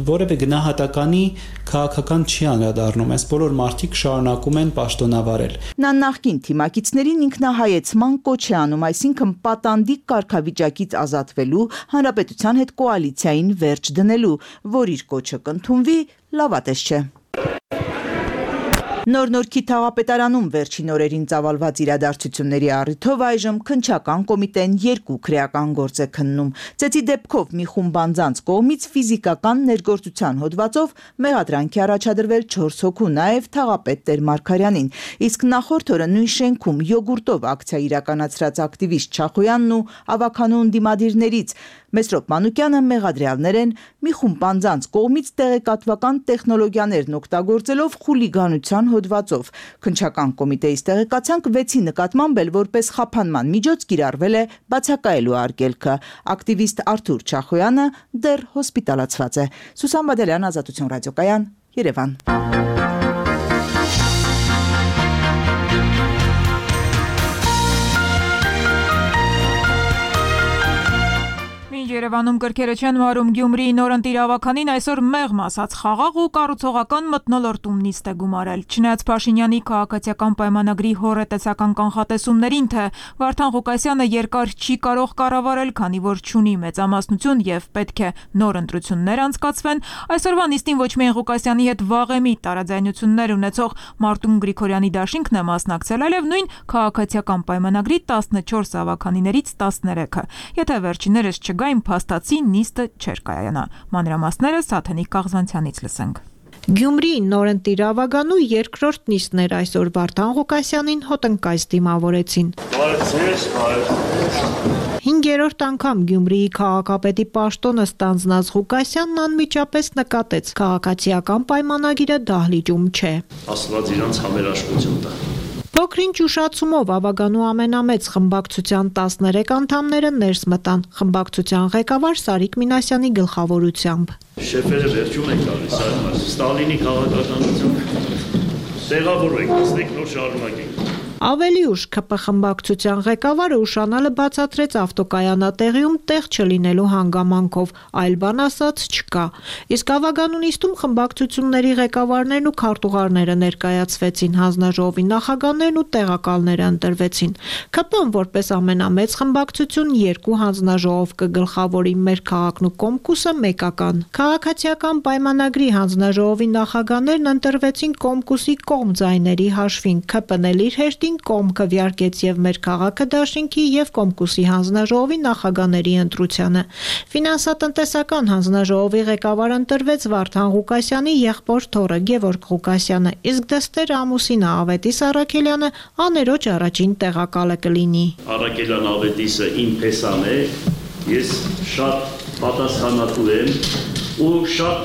որևէ գնահատականի քաղաքական չի անդրադառնում, այս բոլոր մարդիկ շարունակում են պաշտոնավարել։ Նա նախկին թիմակիցներին ինքնահայեցման կոչ է անում, այսինքն պատանդիկ կարգավիճակից ազատվելու, հանրապետության հետ կոալիցիային վերջ դնելու, որ իր կոչը կընդունվի, լավատես չէ։ Նոր Նորքի թաղապետարանում վերջին օրերին ծավալված իրադարձությունների առիթով այժմ քննչական կոմիտեն երկու քրեական գործ է քննում։ Ծեծի դեպքով մի խումբ անձանց կողմից ֆիզիկական ներգործության հոդվածով մեղադրանք է առաջադրվել չորս հոգու, նաև թաղապետ Տեր-Մարգարյանին։ Իսկ նախորդ օրը նույն շենքում յոգուրտով ակցիա իրականացրած ակտիվիստ Չախոյանն ու ավագանու ընդդիմադիրներից Մեսրոպ Մանուկյանը մեղադրյալներ են մի խումբ անձանց կողմից տեղեկատվական տեխնոլոգիաներն օգտագործելով խուլիգանության հոդվածով։ Քննչական կոմիտեից տեղեկացանք վեցի նկատմամբ էլ որպես խափանման միջոց կիրառվել է բացակայելու արգելքը։ Ակտիվիստ Արթուր Չախոյանը դեռ հոսպիտալացված է։ Սուսան Բադալյան, Ազատություն ռադիոկայան, Երևան։ Երևանում կրկերը չեն մարում Գյումրիի նորընտիր ավականին այսօր մեղմ ասած խաղաղ ու կառուցողական մթնոլորտում նիստ է գումարել։ Չնայած Փաշինյանի քաղաքացիական պայմանագրի հորետեսական կանխատեսումներին, թե Վարդան Ղուկասյանը երկար չի կարող կառավարել, քանի որ չունի մեծամասնություն եւ պետք է նոր ընտրություններ անցկացվեն, այսօրվա նիստին ոչ միայն Ղուկասյանի հետ վաղեմի տարաձայնություններ ունեցող Մարտուն Գրիգորյանի դաշինքն է մասնակցել, այլև նույն քաղաքացիական պայմանագրի տասնչորս ավականիներից տասներեքը։ Եթե վերջիններս չգային, փաստացի նիստը չէր կայանա։ Մանրամասները Սաթենիկ Կաղզանցյանից լսենք։ Գյումրիի նորընտիր ավականու երկրորդ նիստն էր այսօր Վարդան Ղուկասյանին հոտնկայց դիմավորեցին։ Հինգ երրորդ անգամ Գյումրիի քաղաքապետի պաշտոնը ստանձնած Ղուկասյանն անմիջապես նկատեց քաղաքացիական պայմանագիրը դահլիճում չէ։ Աստված իրանց համերաշխություն տա։ Փոքրինչ ուշացումով ավագանու ամենամեծ խմբակցության տասներեք անդամները ներս մտան խմբակցության ղեկավար Սարիկ Մինասյանի գլխավորությամբ։ Շեֆերը վերջում են գալիս, այլ Ստալինի քաղաքականություն տեղավորենք, ասենք նոր շարունակենք։ Ավելի ուշ ՔՊ խմբակցության ղեկավարը ուշանալը բացատրեց ավտոկայանատեղիում տեղ չլինելու հանգամանքով, այլ բան ասած չկա։ Իսկ ավագանունիստում խմբակցությունների ղեկավարներն ու քարտուղարները ներկայացվեցին, հանձնաժողովի նախագահներն ու տեղակալները ընտրվեցին։ ՔՊ-ն որպես ամենամեծ խմբակցություն երկու հանձնաժողով կգլխավորի մեր քաղաքն ու Կոմկուսը մեկական։ Քաղաքացիական պայմանագրի հանձնաժողովի նախագահներն ընտրվեցին Կոմկուսի կողմ ձայների հաշվին, ՔՊ-ն էլ իր հերթին կողմ քվեարկեց եւ մեր քաղաքը դաշինքի եւ Կոմկուսի հանձնաժողովի նախագահների ընտրությանը։ Ֆինանսատնտեսական հանձնաժողովի ղեկավար ընտրվեց Վարդան Ղուկասյանի եղբոր թոռը Գևորգ Ղուկասյանը, իսկ դստեր ամուսինը Ավետիս Առաքելյանը աներոջ առաջին տեղակալը կլինի։ Առաքելյան Ավետիսը իմ փեսան է, ես շատ պատասխանատու եմ ու շատ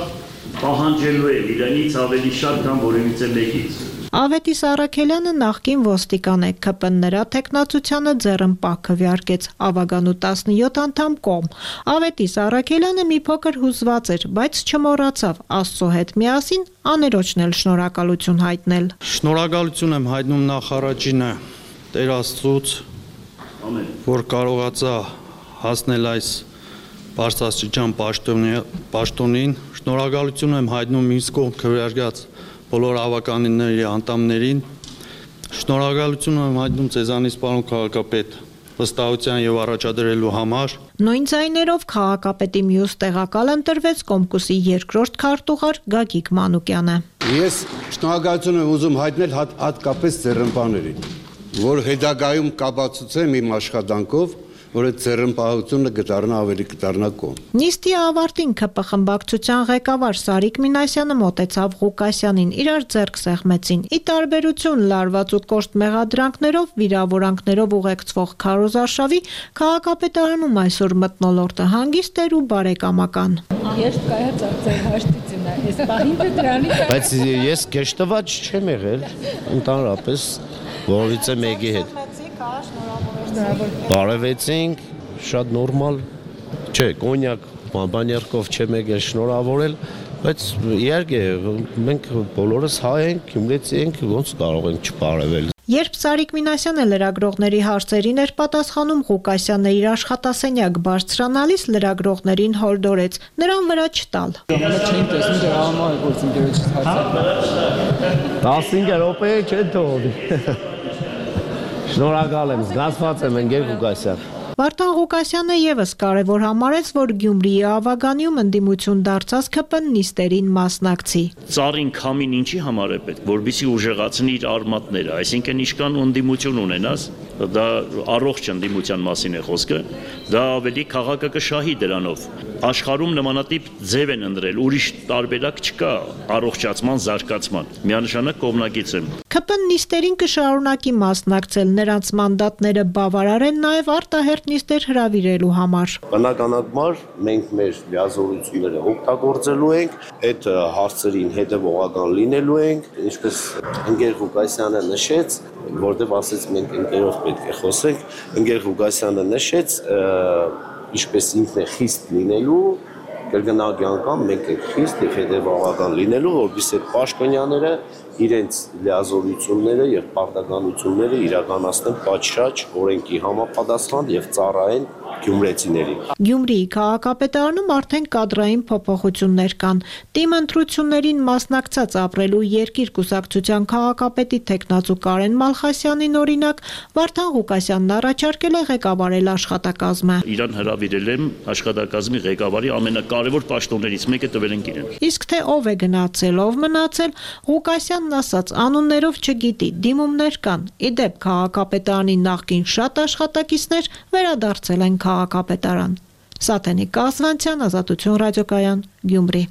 պահանջելու եմ իրենից ավելի շատ, քան որևիցե մեկից։ Ավետիս Առաքելյանը նախկին ոստիկան է, ՔՊ-ն նրա թեկնածությանը ձեռնպահ քվեարկեց, ավագանու տասնյոթ անդամ կողմ։ Ավետիս Առաքելյանը մի փոքր հուզված էր, բայց չմոռացավ Աստծո հետ միասին աներոջն էլ շնորհակալություն հայտնել։ Շնորհակալություն եմ հայտնում նախ առաջինը Տեր Աստծուց, որ կարողացա հասնել այս բարձրաստիճան պաշտոնին։ Շնորհակալություն եմ հայտնում ինձ կողմ քվեարկած բոլոր ավականների անդամներին, շնորհակալություն եմ հայտնում ձեզանից պարոն քաղաքապետ վստահության եւ առաջադրելու համար։ Նույն ձայներով քաղաքապետի մյուս տեղակալ ընտրվեց Կոմկուսի երկրորդ քարտուղար Գագիկ Մանուկյանը։ Ես շնորհակալություն եմ ուզում հայտնել հատ, հատկապես ձեռնպահներին, որ հետագայում կապացուցեն իմ աշխատանքով, որ այդ ձեռնպահությունը կդառնա ավելի կդառնա կողմ։ Նիստի ավարտին ՔՊ խմբակցության ղեկավար Սարիկ Մինասյանը մոտեցավ Ղուկասյանին, իրար ձեռք սեղմեցին։ Ի տարբերություն լարված ու կոշտ մեղադրանքներով, վիրավորանքներով ուղեկցվող քարոզարշավի, քաղաքապետարանում այսօր մթնոլորտը հանգիստ էր ու բարեկամական։ Ես կայացած ձեր հաշտիցն է, այս պահին դրանից։ Բայց ես կեշտված չեմ եղել, ընդհանրապես որից է մեկի հետ։ Բարևեցինք, շատ նորմալ, չէ, կոնյակ բանբաներկով չեմ եկել շնորհավորել, բայց իհարկե մենք բոլորս հայ ենք, գյումրեցի ենք, ոնց կարող ենք չբարևել։ Երբ Սարիկ Մինասյանը լրագրողների հարցերին էր պատասխանում, Ղուկասյանն իր աշխատասենյակ բարձրանալիս լրագրողներին հորդորեց նրան վրա չտալ։ տասնհինգ րոպե չեն թողնի։ Շնորհակալ եմ, զգացված եմ ընկեր Ղուկասյան։ Վարդան Ղուկասյանը եւս կարևոր համարեց, որ Գյումրիի ավագանիում ընդդիմություն դարձած ՔՊ-ն նիստերին մասնակցի։ Ծառին քամին ինչի համար է պետք, որբիսի ուժեղացնի իր արմատները, այսինքն ինչքան ընդդիմություն ունենաս, դա առողջ ընդդիմության մասին է խոսքը, դա ավելի քաղաքը կշահի դրանով։ Աշխարհում նմանատիպ ձև են ընտրել, ուրիշ տարբերակ չկա առողջացման, զարգացման։ Միանշանակ կողմնակից եմ։ ՔՊ-ն նիստերին կշարունակի մասնակցել, նրանց մանդատները բավարար են նաև արտահերթ նիստեր հրավիրելու համար։ Բնականաբար մենք մեր լիազորությունները օգտագործելու ենք, այդ հարցերին հետևողական լինելու ենք, ինչպես ընկեր Ղուկասյանը նշեց, որտեղ ասեց մենք ընկերով պետք է խոսենք, ընկեր Ղուկասյանը նշեց, ինչպես ինքն է խիստ լինելու, կրկնակի անգամ մենք ենք խիստ եւ հետևողական լինելու, որովհետեւ այդ պաշտոնյաները իրենց լիազորությունները եւ պարտականությունները իրականացնեն պատշաճ օրենքի համապատասխան եւ ծառայեն գյումրեցիներին։ Գյումրիի քաղաքապետարանում արդեն կադրային փոփոխություններ կան։ Տիմ ընտրություններին մասնակցած ապրելու երկիր կուսակցության քաղաքապետի տեխնացու Կարեն Մալխասյանին օրինակ Վարդան Ղուկասյանն առաջարկել է ղեկավարել աշխատակազմը։ Իրան հրավիրել եմ աշխատակազմի ղեկավարի ամենակարևոր պաշտոններից մեկը տվել են իրեն։ Իսկ թե ով է գնացել, ով մնացել, Ղուկասյանն ասաց անուններով չգիտի, դիմումներ կան։ Իդեպ քաղաքապետարանի նախկին շատ աշխատակիցներ վերադարձել են քաղաքապետարան։ Սաթենիկ Կասվանցյան, Ազատություն ռադիոկայան, Գյումրի։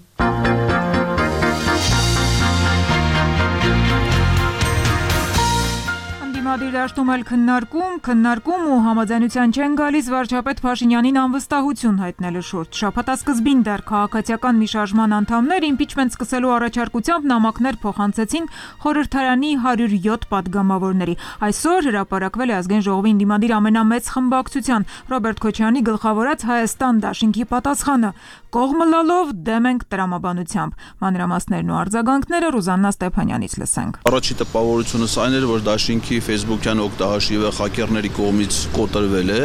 Ընդդիմադիր դաշտում էլ քննարկում, քննարկում ու համաձայնության չեն գալիս վարչապետ Փաշինյանին անվստահություն հայտնելու շուրջ։ Շաբաթասկզբին դեռ քաղաքացիական մի շարժման անդամներ իմպիչմենտ սկսելու առաջարկությամբ նամակներ փոխանցեցին խորհրդարանի հարյուր յոթ падգամավորների։ Այսօր հրապարակվել է ազգային ժողովի ընդդիմադիր ամենամեծ խմբակցության Ռոբերտ Քոչարյանի գլխավորած Հայաստան դաշինքի պատասխանը՝ կողմը լալով դեմ ենք տրամաբանությամբ։ Մանրամասներն ու արձագանքները Ռուզաննա Ստեփանյանից լսենք։ Առաջի տպավորությունս այն էր, որ դաշինքի Facebook-յան օգտահաշիվը խակերների կողմից կոտրվել է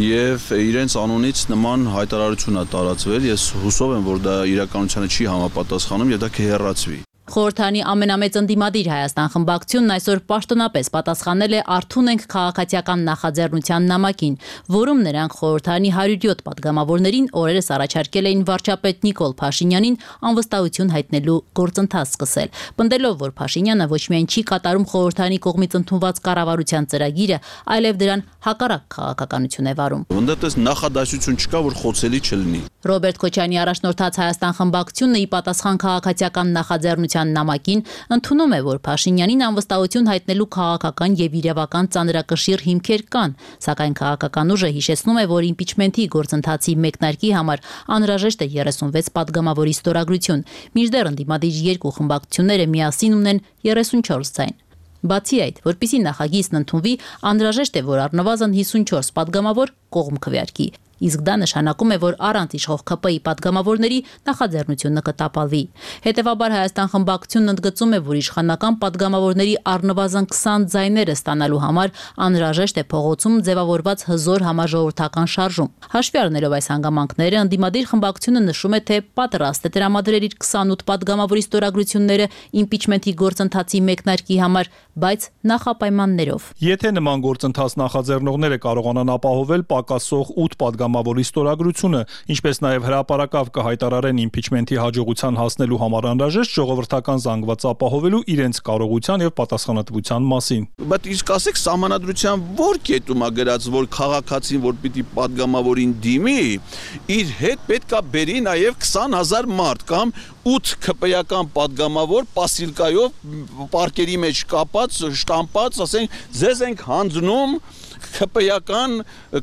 եւ իրենց անունից նման հայտարարություն է տարածվել։ Ես հուսով եմ, որ դա իրականությանը չի համապատասխանում եւ դա կհեռացվի։ Խորհրդարանի ամենամեծ ընդդիմադիր Հայաստան խմբակցությունն այսօր պաշտոնապես պատասխանել է «Արթուն ենք» քաղաքացիական նախաձեռնության նամակին, որում նրանք խորհրդարանի հարյուր յոթ падգամավորներին օրերս առաջարկել էին վարչապետ Նիկոլ Փաշինյանին անվստահություն հայտնելու գործընթաց սկսել, պնդելով, որ Փաշինյանը ոչ միայն չի կատարում խորհրդարանի կողմից ընդունված կառավարության ծրագիրը, այլև դրան հակառակ քաղաքականություն է վարում։ Որտեղ նախադասություն չկա, որ խոցելի չլինի։ Ռոբերտ Քոչարյանի առաջնորդած Հայաստան խմբակցությունը ի պատասխան քաղաքացիական նախաձեռնության նամակին ընդունում է, որ Փաշինյանին անվստահություն հայտնելու քաղաքական եւ իրավական ծանրակշիռ հիմքեր կան, սակայն քաղաքական ուժը հիշեցնում է, որ իմպիչմենտի գործընթացի մեկնարկի համար անհրաժեշտ է երեսունվեց падգամավորի ստորագրություն, մինչդեռ ընդդիմադիր երկու խմբակցությունները միասին ունեն երեսունչորս ձայն։ Բացի այդ, որպեսզի նախագիծն ընդունվի, անհրաժեշտ է, որ առնվազն հիսունչորս падգամավոր կողմ քվեարկի։ Իսկ դա նշանակում է, որ առանց իշխող ՔՊ ի падգամավորների նախաձեռնությունը կտապալվի։ Հետևաբար Հայաստան խմբակցությունն ընդգծում է, որ իշխանական падգամավորների առնվազն քսան ձայները ստանալու համար անհրաժեշտ է փողոցում ձևավորված հզոր համաժողովրդական շարժում։ Հաշվի առնելով այս հանգամանքները, ընդդիմադիր խմբակցությունը նշում է, թե պատրաստ է տրամադրել իր քսանութ падգամավորի ստորագրությունները իմպիչմենտի գործընթացի մեկնարկի համար, բայց նախապայմաններով։ Եթե նման գործընթաց նախաձեռնողները կարողանան ապահովել պակասող ութ падգամավորի ստորագրությունը, ինչպես նաև հրապարակավ կհայտարարեն իմպիչմենտի հաջողության հասնելու համար անհրաժեշտ ժողովրդական զանգված ապահովելու իրենց կարողության եւ պատասխանատվության մասին։ Բայց իսկ ասեք սահմանադրության որ կետում է գրած, որ քաղաքացին, որ պիտի падգամավորին դիմի, իր հետ պետքա բերի նաև քսան հազար մարդ կամ ութ ՔՊ-ական падգամավոր պասիլկայով պարկերի մեջ կապած, շտամպած, ասենք, ձեզ ենք հանձնում ՔՊ-ական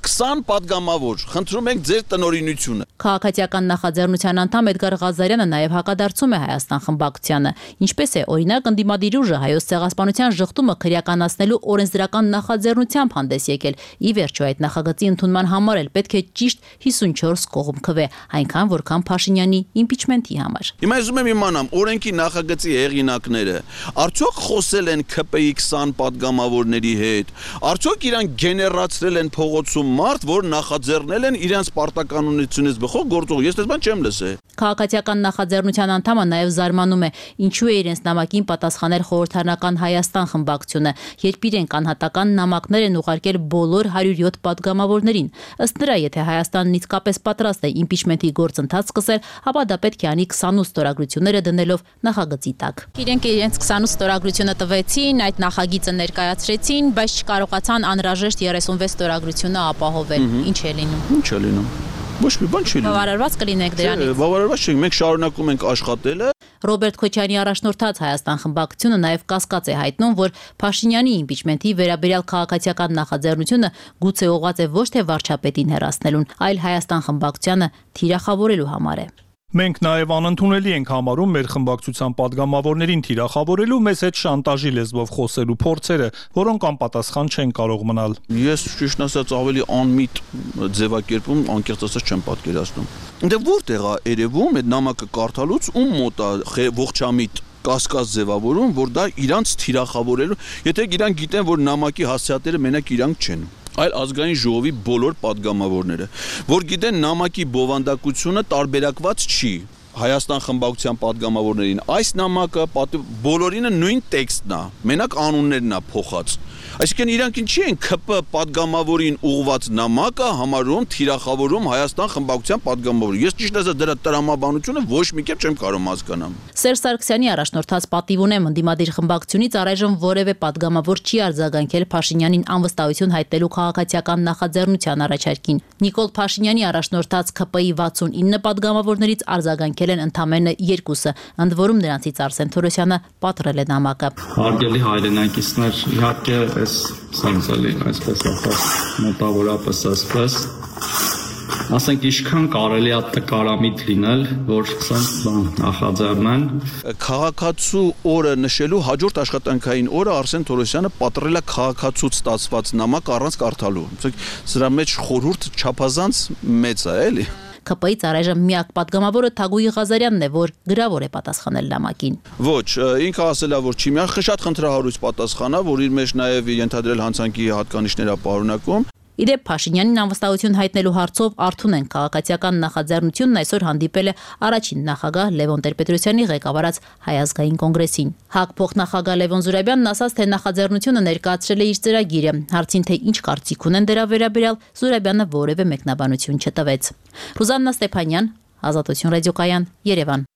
քսան падգամավոր, խնդրում ենք ձեր տնօրինությունը։ Քաղաքացիական նախաձեռնության անդամ Էդգար Ղազարյանը նաև հակադարձում է Հայաստան խմբակցությանը, ինչպես է օրինակ ընդդիմադիր ուժը հայոց ցեղասպանության ժխտումը քրեականացնելու օրենսդրական նախաձեռնությամբ հանդես եկել։ Ի վերջո այդ նախագծի ընդունման համար էլ պետք է ճիշտ հիսունչորս կողմ քվե, այնքան որքան Փաշինյանի իմպիչմենտի համար։ Հիմա ես ուզում եմ իմանամ, օրենքի նախագծի հեղինակները արդյոք խոսել են ՔՊ-ի քսան падգամավորների հետ, արդյոք իրանք գեներացրել են փողոցում մարդ, որ նախաձեռնել են իրենց պարտականությունից բխող գործող։ Ես դες բան չեմ լսել։ Քաղաքացիական նախաձեռնության անդամը նաև զարմանում է, ինչու է իրենց նամակին պատասխանել խորհրդարանական Հայաստան խմբակցությունը, երբ իրենք անհատական նամակներ են ուղարկել բոլոր հարյուր յոթ падգամավորներին։ Ըստ նրա, եթե Հայաստանն իսկապես պատրաստ է իմպիչմենտի գործընթաց սկսել, ապա դա պետք է անի քսանութ ստորագրությունները դնելով նախագծի տակ։ Իրենք իրենց քսանութ ստորագրությունը տվեցին, այդ նախագիծը ներկայացրեցին, բայց չկարողացան անհրաժեշտ երեսունվեց ստորագրությունը ապահովել։ Ինչ է լինում։ Ինչ է լինում։ Ոչ մի բան չի լինում։ Բավարարված կլինեք դրանից։ Բավարարված չենք, մենք շարունակում ենք աշխատելը։ Ռոբերտ Քոչարյանի առաջնորդած Հայաստան խմբակցությունը նաև կասկած է հայտնում, որ Փաշինյանի իմպիչմենտի վերաբերյալ քաղաքացիական նախաձեռնությունը գուցե ուղղված է ոչ թե վարչապետին հեռացնելուն, այլ Հայաստան խմբակցությանը թիրախավորելու համար է։ Մենք նաև անընդունելի ենք համարում մեր խմբակցության падգամավորներին թիրախավորելու մեզ հետ շանտաժի լեզվով խոսելու փորձերը, որոնք անպատասխան չեն կարող մնալ։ Ես ճիշտ ասած ավելի անմիտ ձևակերպում անկեղծ ասած չեմ պատկերացնում։ Դե որտեղ է երևում այդ նամակը կարդալուց ում մոտ է ողջամիտ կասկած ձևավորում, որ դա իրանց թիրախավորելու, եթե իրանք գիտեն, որ նամակի հասցեատերը մենակ իրանք չեն, այլ ազգային ժողովի բոլոր падգամավորները, որ գիտեն նամակի բովանդակությունը տարբերակված չի Հայաստան խմբակցության падգամավորներին։ Այս նամակը բոլորինը նույն տեքստն է, մենակ անուններն է փոխած։ Այսինքն իրանք ինչի են ՔՊ падգամավորին ուղված նամակը համարում թիրախավորում Հայաստան խմբակցության падգամավորին։ Ես ճիշտ ասած դրա տրամաբանությունը ոչ մի կերպ չեմ կարող հասկանալ։ Սերժ Սարգսյանի առաջնորդած պատիվ ունեմ ընդդիմադիր խմբակցությունից առայժմ որևէ падգամավոր չի արձագանքել Փաշինյանին անվստահություն հայտնելու քաղաքացիական նախաձեռնության առաջարկին։ Նիկոլ Փաշինյանի առաջնորդած ՔՊ-ի վաթսունինը падգամավորներից արձագանքել են ընդամենը երկուսը, ընդ որում նրանցից Արսեն Թորոսյանը պատռել է նամակը։ Հարգելի հայրենակիցներ, իհարկե այդպես սանձալի, այսպես ախաս մոտավորապես ասպես ասենք ինչքան կարելի է տկարամիտ լինել, որ սրանք բան նախաձեռնեն։ Քաղաքացու օրը նշելու հաջորդ աշխատանքային օրը Արսեն Թորոսյանը պատռել է քաղաքացուց ստացված նամակ առանց կարդալու։ Սրա մեջ խորհուրդ չափազանց մեծ է, էլի։ Ք Պ Ից առայժմ միակ պատգամավորը Թագուհի Ղազարյանն է, որ գրավոր է պատասխանել նամակին։ Ոչ, ինքը ասել է, որ չի միան շատ խնդրահարույց պատասխանա, որ իր մեջ նաև ենթադրել հանցանքի հատկանիշներ պարունակում։ Իդեպ Փաշինյանին անվստահություն հայտնելու հարցով Արթունեն քաղաքացիական նախաձեռնությունն այսօր հանդիպել է առաջին նախագահ Լևոն Տեր-Պետրոսյանի ղեկավարած Հայ ազգային կոնգրեսին։ ՀԱԿ փոխնախագահ Լևոն Զուրաբյանն ասաց, թե նախաձեռնությունը ներկայացրել է իր ծրագիրը։ Հարցին, թե ինչ կարծիք ունեն դրա վերաբերյալ, Զուրաբյանը որևէ մեկնաբանություն չտվեց։ Ռուզաննա Ստեփանյան, Ազատություն ռադիոկայան, Երևան։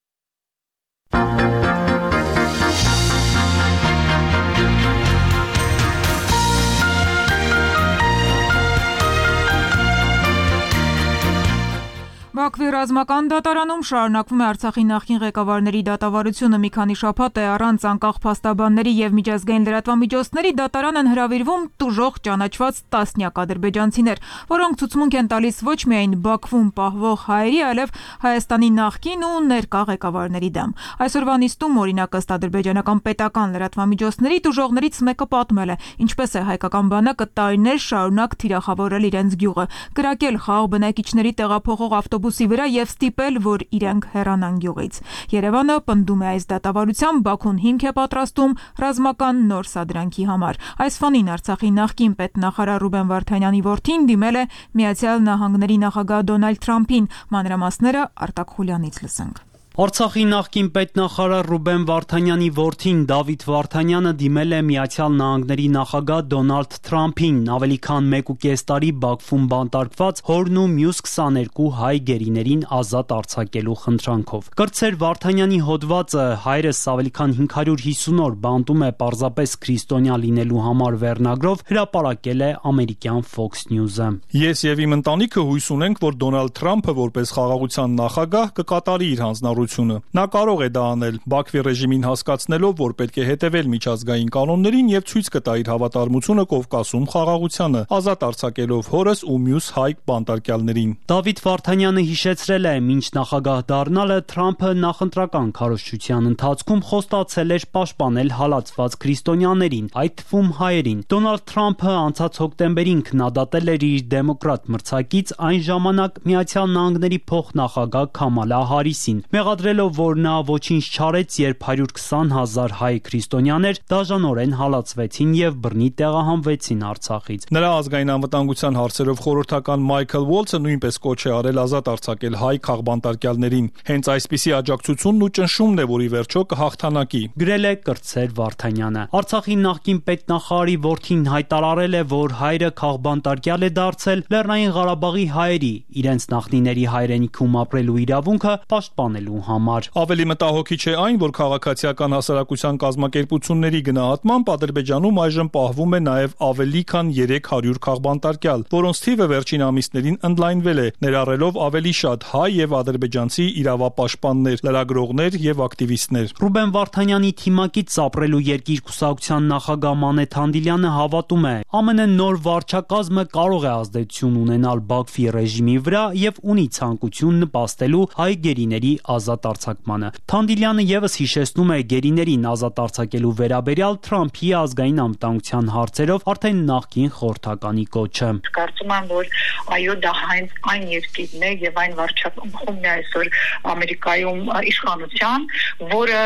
Բաքվի ռազմական դատարանում շարունակվում է Արցախի նախկին ղեկավարների դատավարությունը։ Մի քանի շաբաթ է առանց անկախ փաստաբանների եւ միջազգային լրատվամիջոցների դատարան են հրավիրվում տուժող ճանաչված տասնյակ ադրբեջանցիներ, որոնք ցուցմունք են տալիս ոչ միայն Բաքվում պահվող հայերի, այլև Հայաստանի նախկին ու ներկա ղեկավարների դեմ։ Այսօրվա նիստում, օրինակ, ըստ ադրբեջանական պետական լրատվամիջոցների, տուժողներից մեկը պատմել է, ինչպես է հայկական բանակը տարիներ շարունակ թիրախավորել իրենց գյուղը, կրակել խաղ բնակիչների տեղափոխող ավտոբուսի վրա եւ ստիպել, որ իրենք հեռանան գյուղից։ Երևանը պնդում է այս դատավարությամբ Բաքուն հիմք է պատրաստում ռազմական նոր սադրանքի համար։ Այս ֆոնին Արցախի նախկին պետնախարար Ռուբեն Վարդանյանի որդին դիմել է Միացյալ Նահանգների նախագահ Դոնալդ Թրամփին։ Մանրամասները Արտակ Խուլյանից լսենք։ Արցախի նախկին պետնախարար Ռուբեն Վարդանյանի որդին Դավիթ Վարդանյանը դիմել է Միացյալ Նահանգների նախագահ Դոնալդ Թրամփին ավելի քան մեկ ու կես տարի Բաքվում բանտարկված հորն ու մյուս քսաներկու հայ գերիներին ազատ արձակելու խնդրանքով։ Կրտսեր Վարդանյանի հոդվածը հայրս ավելի քան հինգ հարյուր հիսուն օր բանտում է պարզապես քրիստոնյա լինելու համար վերնագրով հրապարակել է ամերիկյան Fox News-ը։ Ես եւ իմ ընտանիքը հույս ունենք, որ Դոնալդ Թրամփը որպես խաղաղության նախագահ կկատարի իր հանձնառությունը։ Նա կարող է դա անել Բաքվի ռեժիմին հասկացնելով, որ պետք է հետևել միջազգային կանոններին եւ ցույց կտա իր հավատարմությունը Կովկասում խաղաղությանը, ազատ արձակելով հորս ու մյուս հայ բանտարկյալներին։ Դավիթ Վարդանյանը հիշեցրել է, մինչ նախագահ դառնալը Թրամփը նախընտրական քարոզչության ընթացքում խոստացել էր պաշտպանել հալածված քրիստոնյաներին, այդ թվում հայերին։ Դոնալդ Թրամփը անցած հոկտեմբերին քննադատել էր իր դեմոկրատ մրցակից այն ժամանակ Միացյալ Նահանգների փոխնախագահ Քամալա Հարիսին, մեղադրելով, որ նա ոչինչ չարեց, երբ հարյուր քսան հազար հայ քրիստոնյաներ դաժանորեն հալածվեցին եւ բռնի տեղահանվեցին Արցախից։ Նրա ազգային անվտանգության հարցերով խորհրդական Մայքլ Ուոլցը նույնպես կոչ է արել ազատ արձակել հայ քաղբանտարկյալներին։ Հենց այսպիսի աջակցությունն ու ճնշումն է, որ ի վերջո կհաղթանակի, գրել է Կրտսեր Վարդանյանը։ Արցախի նախկին պետնախարարի որդին հայտարարել է, որ հայրը քաղբանտարկյալ է դարձել Լեռնային Ղարաբաղի հայերի, իրենց նախնիների հայրենիքում ապրելու իրավունքը պաշտպանելու համար։ Ավելի մտահոգիչ է այն, որ քաղաքացիական հասարակության կազմակերպությունների գնահատմամբ Ադրբեջանում այժմ պահվում է նաև ավելի քան երեք հարյուր քաղբանտարկյալ, որոնց թիվը վերջին ամիսներին ընդլայնվել է, ներառելով ավելի շատ հայ եւ ադրբեջանցի իրավապաշտպաններ, լրագրողներ եւ ակտիվիստներ։ Ռուբեն Վարդանյանի թիմակից ապրելու երկիր կուսակցության նախագահ Մանեթ Հանդիլյանը հավատում է, ԱՄՆ նոր վարչակազմը կարող է ազդեցություն ունենալ Բաքվի ռեժիմի վրա եւ ունի ցանկություն նպաստելու հայ գերիների ազատ արձակմանը։ Թանդիլյանը եւս հիշեցնում է գերիներին ազատ արձակելու վերաբերյալ Թրամփի ազգային անվտանգության հարցերով արդեն նախկին խորհրդականի կոչը։ Կարծում եմ, որ այո, դա հենց այն երկիրն է եւ այն վարչակազմն է այսօր Ամերիկայում իշխանության, որը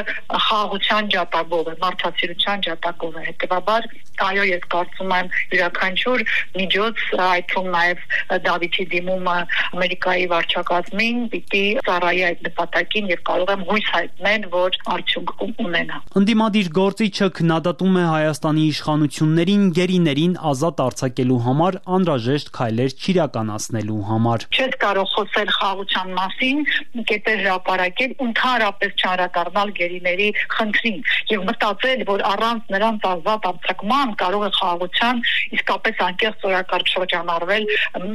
խաղաղության ջատագով է, մարդասիրության ջատագով է։ Հետեւաբար, այո, ես կարծում եմ յուրաքանչյուր միջոց, այդ թվում նաեւ Դավիթի դիմումը Ամերիկայի վարչակազմին պիտի ծառայի այդ նպատակին եւ կարող եմ հույս հայտնել, որ արդյունք ունենա։ Ընդդիմադիր գործիչը քննադատում է Հայաստանի իշխանություններին գերիներին ազատ արձակելու համար անհրաժեշտ քայլեր չիրականացնելու համար։ Չես կարող խոսել խաղաղության մասին, կետեր հրապարակել, ընդհանրապես չանդրադառնալ գերիների խնդրին եւ մտածել, որ առանց նրանց ազատ արձակման կարող է խաղաղության իսկապես անկեղծ օրակարգ շրջանառվել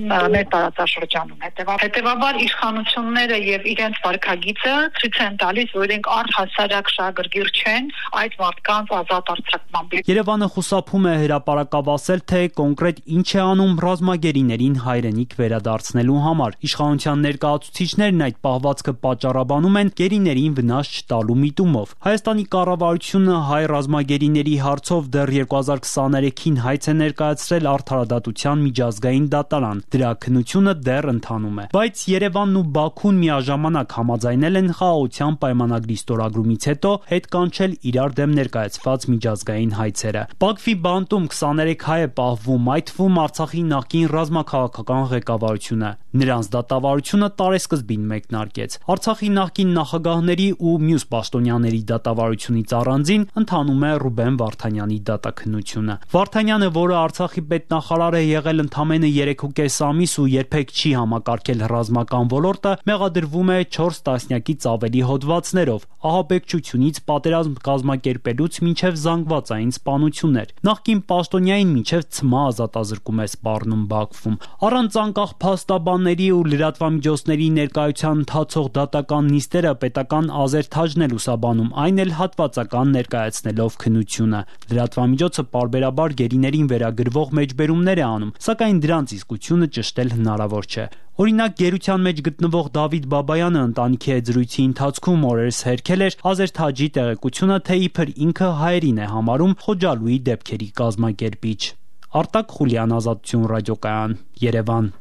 մեր տարածաշրջանում։ Հետեւաբար իշխանությունները եւ իրենց վարքագիծը կողմերը ցույց են տալիս, որ իրենք առհասարակ շահագրգիռ չեն այդ մարդկանց ազատ արձակմամբ։ Երևանը խուսափում է հրապարակավ թե կոնկրետ ինչ է անում ռազմագերիներին հայրենիք վերադարձնելու համար։ Իշխանության ներկայացուցիչներն այդ պահվածքը պատճառաբանում են գերիներին վնաս չտալու միտումով։ Հայաստանի կառավարությունը հայ ռազմագերիների հարցով դեռ երկու հազար քսաներեքին հայց է ներկայացրել Արդարադատության միջազգային դատարան։ Դրա քննությունը դեռ ընթանում է։ Բայց Երևանն ու Բաքուն միաժամանակ համաձայնել են խաղաղության պայմանագրի ստորագրումից հետո հետ կանչել իրար դեմ ներկայացված միջազգային հայցերը։ Բաքվի բանտում քսաներեք հայ է պահվում, այդ թվում Արցախի նախկին ռազմաքաղաքական ղեկավարությունը։ Նրանց դատավարությունը տարեսկզբին մեկնարկեց։ Արցախի նախկին նախագահների ու մյուս պաշտոնյաների դատավարությունից առանձին ընթանում է Ռուբեն Վարդանյանի դատաքննությունը։ Վարդանյանը, որը Արցախի պետնախարար է եղել ընդամենը երեք ու կես ամիս ու երբեք չի համակարգել ռազմական ոլորտը, մեղադրվում է չորս տասնյակից ավելի հոդվածներով, ահաբեկչությունից պատերազմ կազմակերպելուց մինչև զանգվածային սպանություններ։ Նախկին պաշտոնյային մինչև ցմահ ազատազրկում է սպառնում Բաքվում։ Առանց անկախ փաստաբանների ու լրատվամիջոցների ներկայության ընթացող դատական նիստերը պետական ազերթաջն է լուսաբանում, այն էլ հատվածական ներկայացնելով քննությունը։ Լրատվամիջոցը պարբերաբար գերիներին վերագրվող մեջբերումներ է անում, սակայն դրանց իսկությունը ճշտել հնարավոր չէ։ Օրինակ, գերության մեջ գտնվող Դավիթ Բաբայանը ընտանիքի հետ զրույցի ընթացքում օրերս հերքել էր Ազերթաջի տեղեկությունը, թե իբր ինքը հայերին է համարում Խոջալուի դեպքերի կազմակերպիչ։ Արտակ Խուլյան, Ազատություն ռադիոկայան, Երևան։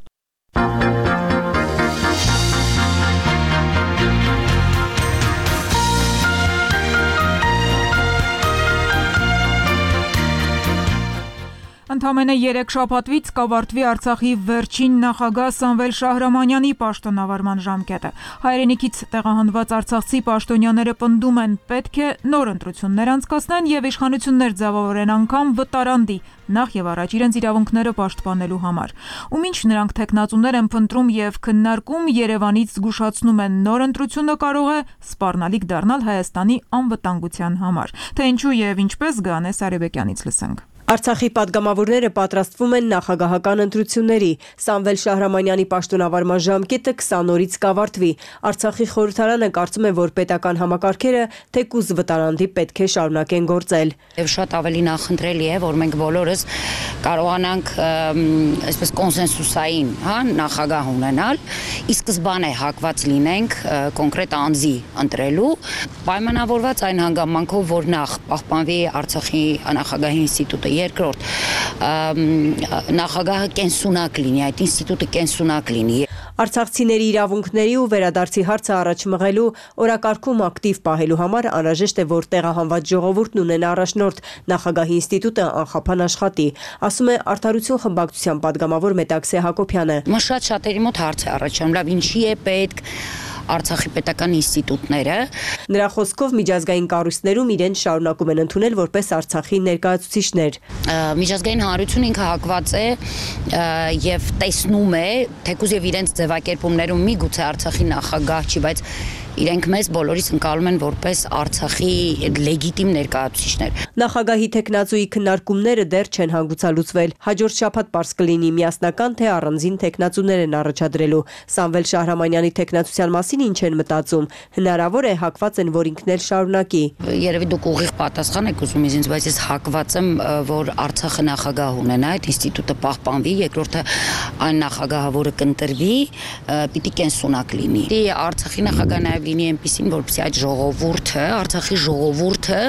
Ընդամենը երեք շաբաթվից կավարտվի Արցախի վերջին նախագահ Սամվել Շահրամանյանի պաշտոնավարման ժամկետը։ Հայրենիքից տեղահանված արցախցի պաշտոնյաները պնդում են, պետք է նոր ընտրություններ անցկացնեն եւ իշխանություններ ձևավորեն անգամ վտարանդի, նախ եւ առաջ իրենց իրավունքները պաշտպանելու համար։ Ու մինչ նրանք տեխնացուներ են փնտրում եւ քննարկում, Երևանից զգուշացնում են նոր ընտրությունը կարող է սպառնալիք դառնալ Հայաստանի անվտանգության համար։ Թե ինչու եւ ինչպես Գանես Արեբեկյանից լսենք։ Արցախի падգամավորները պատրաստվում են նախագահական ընտրությունների։ Սամվել Շահրամանյանի պաշտոնավարման ժամկետը քսան օրից կավարտվի։ Արցախի խորհրդարանը կարծում է, որ պետական համակարգերը թեկուզ վտարանդի պետք է շարունակեն գործել։ Եվ շատ ավելի նախընտրելի է, որ մենք բոլորս կարողանանք այսպես կոնսենսուսային, հա, նախագահ ունենալ, ի սկզբանե հակված լինենք կոնկրետ անձի ընտրելու, պայմանավորված այն հանգամանքով, որ նախ պահպանվի Արցախի նախագահի ինստիտուտը, երկրորդ նախագահը կենսունակ լինի, այդ ինստիտուտը կենսունակ լինի։ Արցախցիների իրավունքների ու վերադարձի հարցը առաջ մղելու օրակարգում ակտիվ պահելու համար անհրաժեշտ է, որ տեղահանված ժողովուրդն ունենա առաջնորդ, նախագահի ինստիտուտը անխափան աշխատի, ասում է Արդարություն խմբակցության падգամավոր Մետաքսե Հակոբյանը։ Շատ շատերի մոտ հարց է առաջանում, լավ, ինչի է պետք Արցախի պետական ինստիտուտները։ Նրա խոսքով միջազգային կառույցներում իրեն շարունակում են ընդունել որպես Արցախի ներկայացուցիչներ։ Միջազգային հանրությունը ինքը հակված է եւ տեսնում է, թեկուզ եւ իրենց ձևակերպումներում միգուցե Արցախի նախագահ չի, բայց իրենք մեզ բոլորիս ընկալում են որպես Արցախի լեգիտիմ ներկայացուցիչներ։ Նախագահի տեխնացուի քննարկումները դեռ չեն հանգուցալուծվել։ Հաջորդ շաբաթ պարզ կլինի միասնական թե առանձին տեխնացուներ են առաջադրելու։ Սամվել Շահրամանյանի տեխնացության մասին ինչ են մտածում։ Հնարավոր է հակված են, որ ինքն էլ շարունակի։ Երևի դուք ուղիղ պատասխան եք ուզում ինձ, բայց ես հակված եմ, որ Արցախը նախագահ ունենա, այդ ինստիտուտը պահպանվի, երկրորդը այն նախագահը, որը կընտրվի, պիտի կենսունակ լինի։ Արցախի նախագահը նաև լինի այնպեսին, որպեսզի այդ ժողովուրդը, Արցախի ժողովուրդը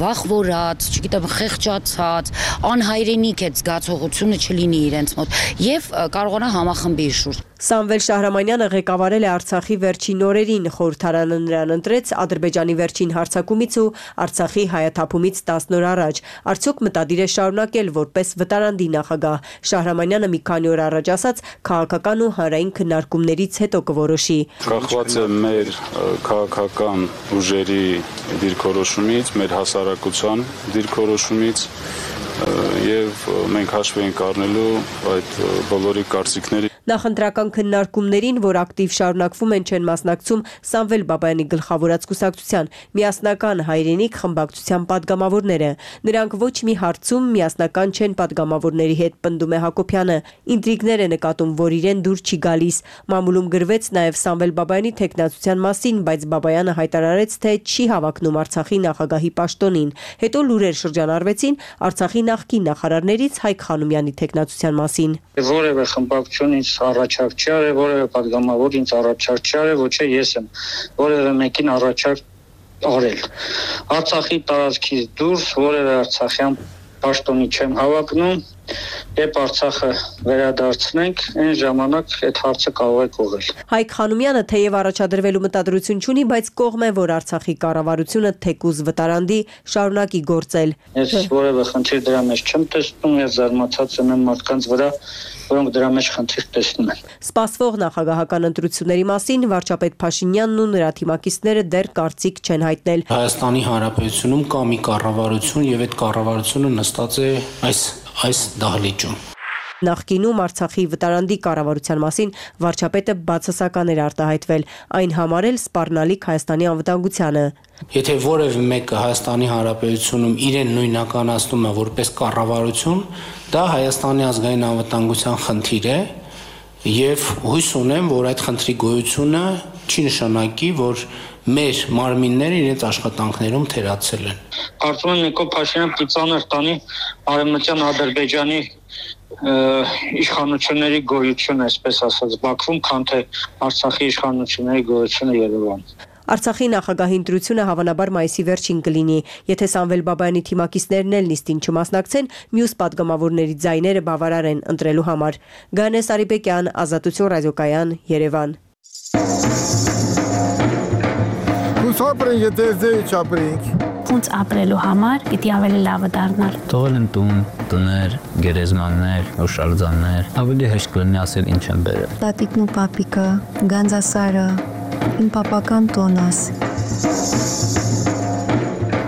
վախվորած, չգիտեմ, խեղճացած, անհայրենիք այդ զգացողությունը չլինի իրենց մոտ եւ կարողանա համախմբի շուրջ։ Սամվել Շահրամանյանը ղեկավարել է Արցախի վերջին օրերին, խորհրդարանը նրան ընտրեց Ադրբեջանի վերջին հարձակումից ու Արցախի հայաթափումից տասն օր առաջ։ Արդյոք մտադիր է շարունակել որպես վտարանդի նախագահ։ Շահրամանյանը մի քանի օր առաջ ասաց, քաղաքական ու հանրային քննարկումներից հետո կորոշի։ Կախված է մեր քաղաքական ուժերի դիրքորոշումից, մեր հասարակության դիրքորոշումից եւ մենք հաշվի ենք առնելու այդ բոլորի կարծիքների։ Նախընտրական քննարկումներին, որ ակտիվ շարունակվում են, չեն մասնակցում Սամվել Բաբայանի գլխավորած կուսակցության Միասնական հայրենիք խմբակցության падգամավորները։ Նրանք ոչ մի հարցում միասնական չեն падգամավորների հետ, պնդում է Հակոբյանը։ Ինտրիգներ է նկատում, որ իրեն դուր չի գալիս։ Մամուլում գրվեց նաև Սամվել Բաբայանի թեկնածության մասին, բայց Բաբայանը հայտարարեց, թե չի հավակնում Արցախի նախագահի պաշտոնին։ Հետո լուրեր շրջանառվեցին Արցախի նախկին նախարարներից Հայկ Խանոմյանի թեկնածության մասին։ Որևէ խմբակցություն ինձ առաջարկ չի արել, որևէ падգամավոր ինձ առաջարկ չի արել, ոչ է ես եմ որևէ մեկին առաջարկ արել։ Արցախի տարածքից դուրս որևէ արցախյան պաշտոնի չեմ հավակնում։ Երբ Արցախը վերադարձնենք, այն ժամանակ այդ հարցը կարող է կողել։ Հայկ Խանոմյանը թեև առաջադրվելու մտադրություն չունի, բայց կողմ է, որ Արցախի կառավարությունը թեկուզ վտարանդի շարունակի գործել։ Ես որևէ խնդիր դրա մեջ չեմ տեսնում, ես զարմացած եմ մարդկանց վրա, որոնք դրա մեջ խնդիր տեսնում են։ Սպասվող նախագահական ընտրությունների մասին վարչապետ Փաշինյանն ու նրա թիմակիցները դեռ կարծիք չեն հայտնել։ Հայաստանի Հանրապետությունում կա մի կառավարություն եւ այդ կառավարությունը նստած է այս այս դահլիճում։ Նախկինում Արցախի վտարանդի կառավարության մասին վարչապետը բացասական էր արտահայտվել, այն համարել սպառնալիք Հայաստանի անվտանգությանը։ Եթե որևէ մեկը Հայաստանի Հանրապետությունում իրեն նույնականացնում է որպես կառավարություն, դա Հայաստանի ազգային անվտանգության խնդիր է եւ հույս ունեմ, որ այդ խնդրի գոյությունը չի նշանակի, որ մեր մարմինները իրենց աշխատանքներում թերացել են։ Կարծում եմ Նիկոլ Փաշինյանը ծանր տանի Արևմտյան Ադրբեջանի իշխանությունների գոյությունը, այսպես ասած, Բաքվում, քան թե Արցախի իշխանությունների գոյությունը Երևանում։ Արցախի նախագահի ընտրությունը հավանաբար մայիսի վերջին կլինի։ Եթե Սամվել Բաբայանի թիմակիցներն էլ նիստին չմասնակցեն, մյուս падգամավորների ձայները բավարար են ընտրելու համար։ Գանես Արիբեկյան, Ազատություն ռադիոկայան, Երևան։ Ապրենք, եթե ձեի չապրենք։ Ոնց ապրելու համար պիտի ավելի լավը դառնալ։ Թողել են տուն, տներ, գերեզմաններ, հուշարձաններ, ավելի հեշտ կլինի ասել ինչ են բերել։ Տատիկն ու պապիկը, Գանձասարը, իմ պապական տոնս։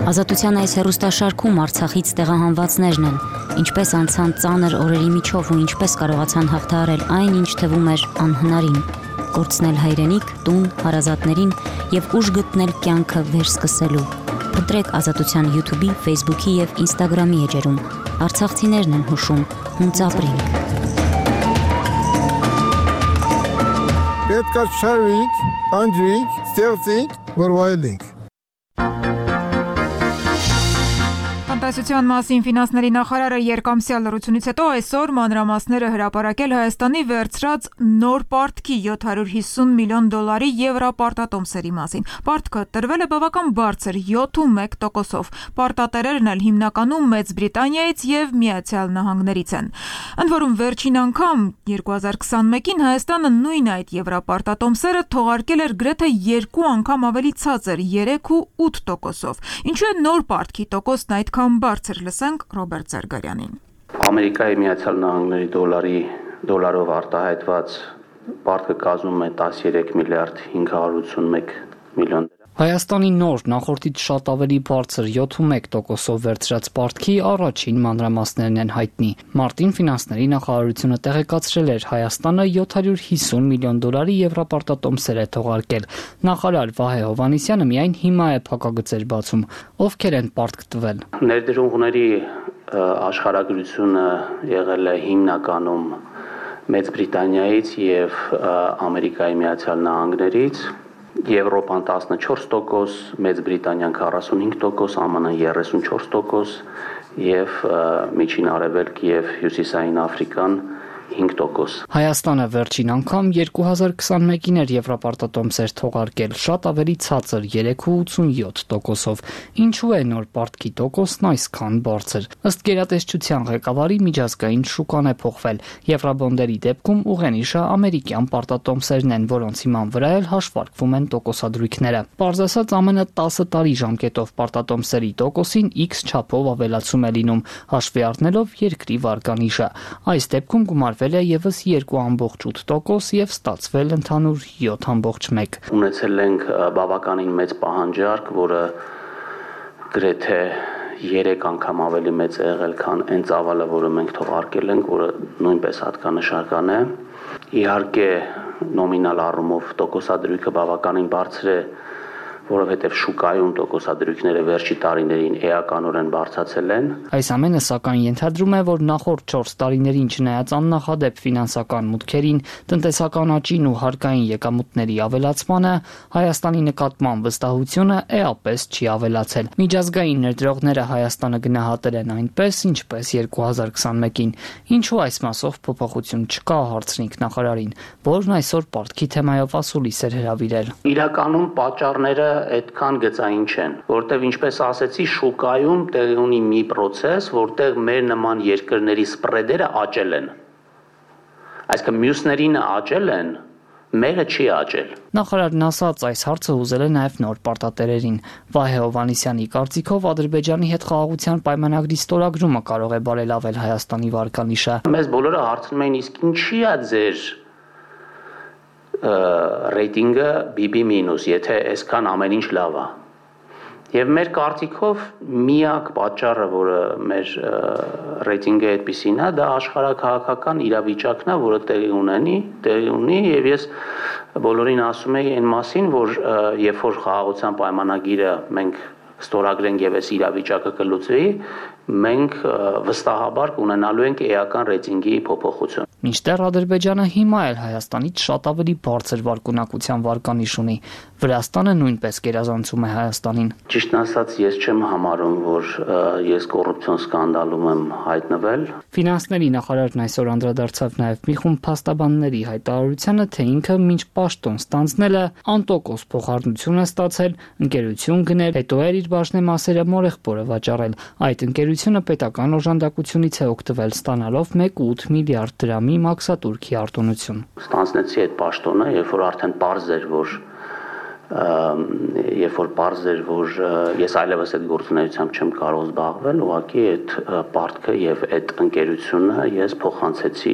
Ազատության այս հեռուստաշարքում Արցախից տեղահանվածներն են, ինչպես անցան ծանր օրերի միջով ու ինչպես կարողացան հաղթահարել այն, ինչ թվում էր անհնարին։ Կորցնել հայրենիք, տուն, հարազատներին եւ ուժ գտնել կյանքը վերսկսելու։ Փնտրեք Ազատության YouTube-ի, Facebook-ի եւ Instagram-ի էջերում։ Արցախցիներն են հուշում, հունց ապրենք։ Պետք է շարվենք, անջրենք, ստեղծենք, որ վայելենք։ Տնտեսության մասին ֆինանսների նախարարը երկամսյա լրությունից հետո այսօր մանրամասները հրապարակել Հայաստանի վերցրած նոր պարտքի յոթ հարյուր հիսուն միլիոն դոլարի եվրապարտատոմսերի մասին։ Պարտքը տրվել է բավական բարձր յոթ ու մեկ տոկոսով։ Պարտատերերն էլ հիմնականում Մեծ Բրիտանիայից եւ Միացյալ Նահանգներից են։ Ընդ որում վերջին անգամ երկու հազար քսանմեկին Հայաստանը նույն այդ եվրապարտատոմսերը թողարկել էր գրեթե երկու անգամ ավելի ցածր երեք ու ութ տոկոսով։ Ինչու է նոր պարտքի տոկոսն այդքան բարձր, լսենք Ռոբերտ Զարգարյանին։ Ամերիկայի Միացյալ Նահանգների դոլարի դոլարով արտահայտված պարտքը կազմում է տասներեք միլիարդ հինգ հարյուր ութսունմեկ միլիոն։ Հայաստանի նոր նախորդից շատ ավելի բարձր յոթ ու մեկ տոկոսով վերցրած պարտքի առաջին մանրամասներն են հայտնի։ Մարտին ֆինանսների նախարարությունը տեղեկացրել էր Հայաստանը յոթ հարյուր հիսուն միլիոն դոլարի եվրապարտատոմսեր է թողարկել։ Նախարար Վահե Հովհաննիսյանը միայն հիմա է փակագծեր բացում։ Ովքեր են պարտք տվել։ Ներդրողների աշխարհագրությունը եղել է հիմնականում Մեծ Բրիտանիայից եւ Ամերիկայի Միացյալ Նահանգներից։ Եվրոպան տասնչորս տոկոս, Մեծ Բրիտանիան քառասունհինգ տոկոս, ԱՄՆ երեսունչորս տոկոս եւ Միջին Արևելք եւ Հյուսիսային Աֆրիկան հինգ տոկոս։ Հայաստանը վերջին անգամ երկու հազար քսանմեկին էր եվրապարտատոմսեր թողարկել, շատ ավելի ցածր երեք ու ութսունյոթ տոկոսով։ Ինչու է նոր պարտքի տոկոսն այսքան բարձր։ Ըստ գերատեսչության ղեկավարի միջազգային շուկան է փոխվել։ Եվրաբոնդերի դեպքում ուղենիշը ամերիկյան պարտատոմսերն են, որոնց հիման վրա էլ հաշվարկվում են տոկոսադրույքները։ Պարզ ասած, ամենը տասը տարի ժամկետով պարտատոմսերի տոկոսին X չափով ավելացում է լինում, հաշվի առնելով երկրի վարկանիշը։ Այս դեպքում գումարվել է եւս երկու ամբողջ ութ տոկոս եւ ստացվել ընդհանուր յոթ ամբողջ մեկ։ Ունեցել ենք բավականին մեծ պահանջարկ, որը գրեթե երեք անգամ ավելի մեծ է եղել, քան այն ծավալը, որը մենք թողարկել ենք, որը նույնպես հատկանշական է։ Իհարկե նոմինալ առումով տոկոսադրույքը բավականին բարձր է, որովհետև շուկայում տոկոսադրույքները վերջի տարիներին էականորեն բարձրացել են։ Այս ամենը սակայն ենթադրում է, որ նախորդ չորս տարիներին չնայած աննախադեպ ֆինանսական մուտքերին, տնտեսական աճին ու հարկային եկամուտների ավելացմանը, Հայաստանի նկատմամբ վստահությունը էապես չի ավելացել։ Միջազգային ներդրողները Հայաստանը գնահատել են այնպես, ինչպես երկու հազար քսանմեկին։ Ինչու այս մասով փոփոխություն չկա, հարցրինք նախարարին, որն այսօր պարտքի թեմայով ասուլիս էր հրավիրել։ Իրականում պատճառները այդքան գծային չեն, որտեղ ինչպես ասեցի, շուկայում տեղի ունի մի process, որտեղ մեր նման երկրների սպրեդերը աճել են։ Այսինքն մյուսներին աճել են, մերը չի աճել։ Նախարարն ասաց, այս հարցը ուզել է նաև նոր պարտատերերին։ Վահե Հովհաննիսյանի կարծիքով Ադրբեջանի հետ խաղաղության պայմանագրի ստորագրումը կարող է բարելավել Հայաստանի վարկանիշը։ Մեզ բոլորը հարցնում էին, իսկ ինչի՞ է ձեր ռեյտինգը բի բի մինուս, եթե այսքան ամեն ինչ լավ է։ Եվ մեր կարծիքով միակ պատճառը, որը մեր ռեյտինգը այդպիսին է, դա աշխարհաքաղաքական իրավիճակն է, որը տեղի ունենի, տեղի ունի, եւ ես բոլորին ասում եի այն մասին, որ երբ որ խաղաղության պայմանագիրը մենք ստորագրենք եւ այս իրավիճակը կլուծվի, մենք վստահաբար կունենալու ենք էական ռեյտինգի փոփոխություն։ Մինչդեռ Ադրբեջանը հիմա էլ Հայաստանից շատ ավելի բարձր վարկունակության վարկանիշ ունի։ Վրաստանը նույնպես գերազանցում է Հայաստանին։ Ճիշտն ասած, ես չեմ համարում, որ ես կոռուպցիոն սկանդալում եմ հայտնվել։ Ֆինանսների նախարարն այսօր անդրադարձավ նաև մի խումբ փաստաբանների հայտարարությանը, թե ինքը մինչ պաշտոն ստանձնել է անտոկոս փոխառնություն է ստացել, ընկերություն գնել, հետո էր իր բաժնեմասերը մորեղբորը վաճառել։ Այդ ընկերությունը պետական օժանդակությունից է օգտվել, ստանալով մեկ կόμμα ութ միլիարդ դրամի մաքսատուրքի արտոնություն։ Ստանձնեցի այդ պաշտոնը, երբ որ արդեն պարզ էր, որ երբ որ պարզ էր, որ ես այլևս այդ գործունեությամբ չեմ կարող զբաղվել, ուղղակի այդ պարտքը եւ այդ ընկերությունը ես փոխանցեցի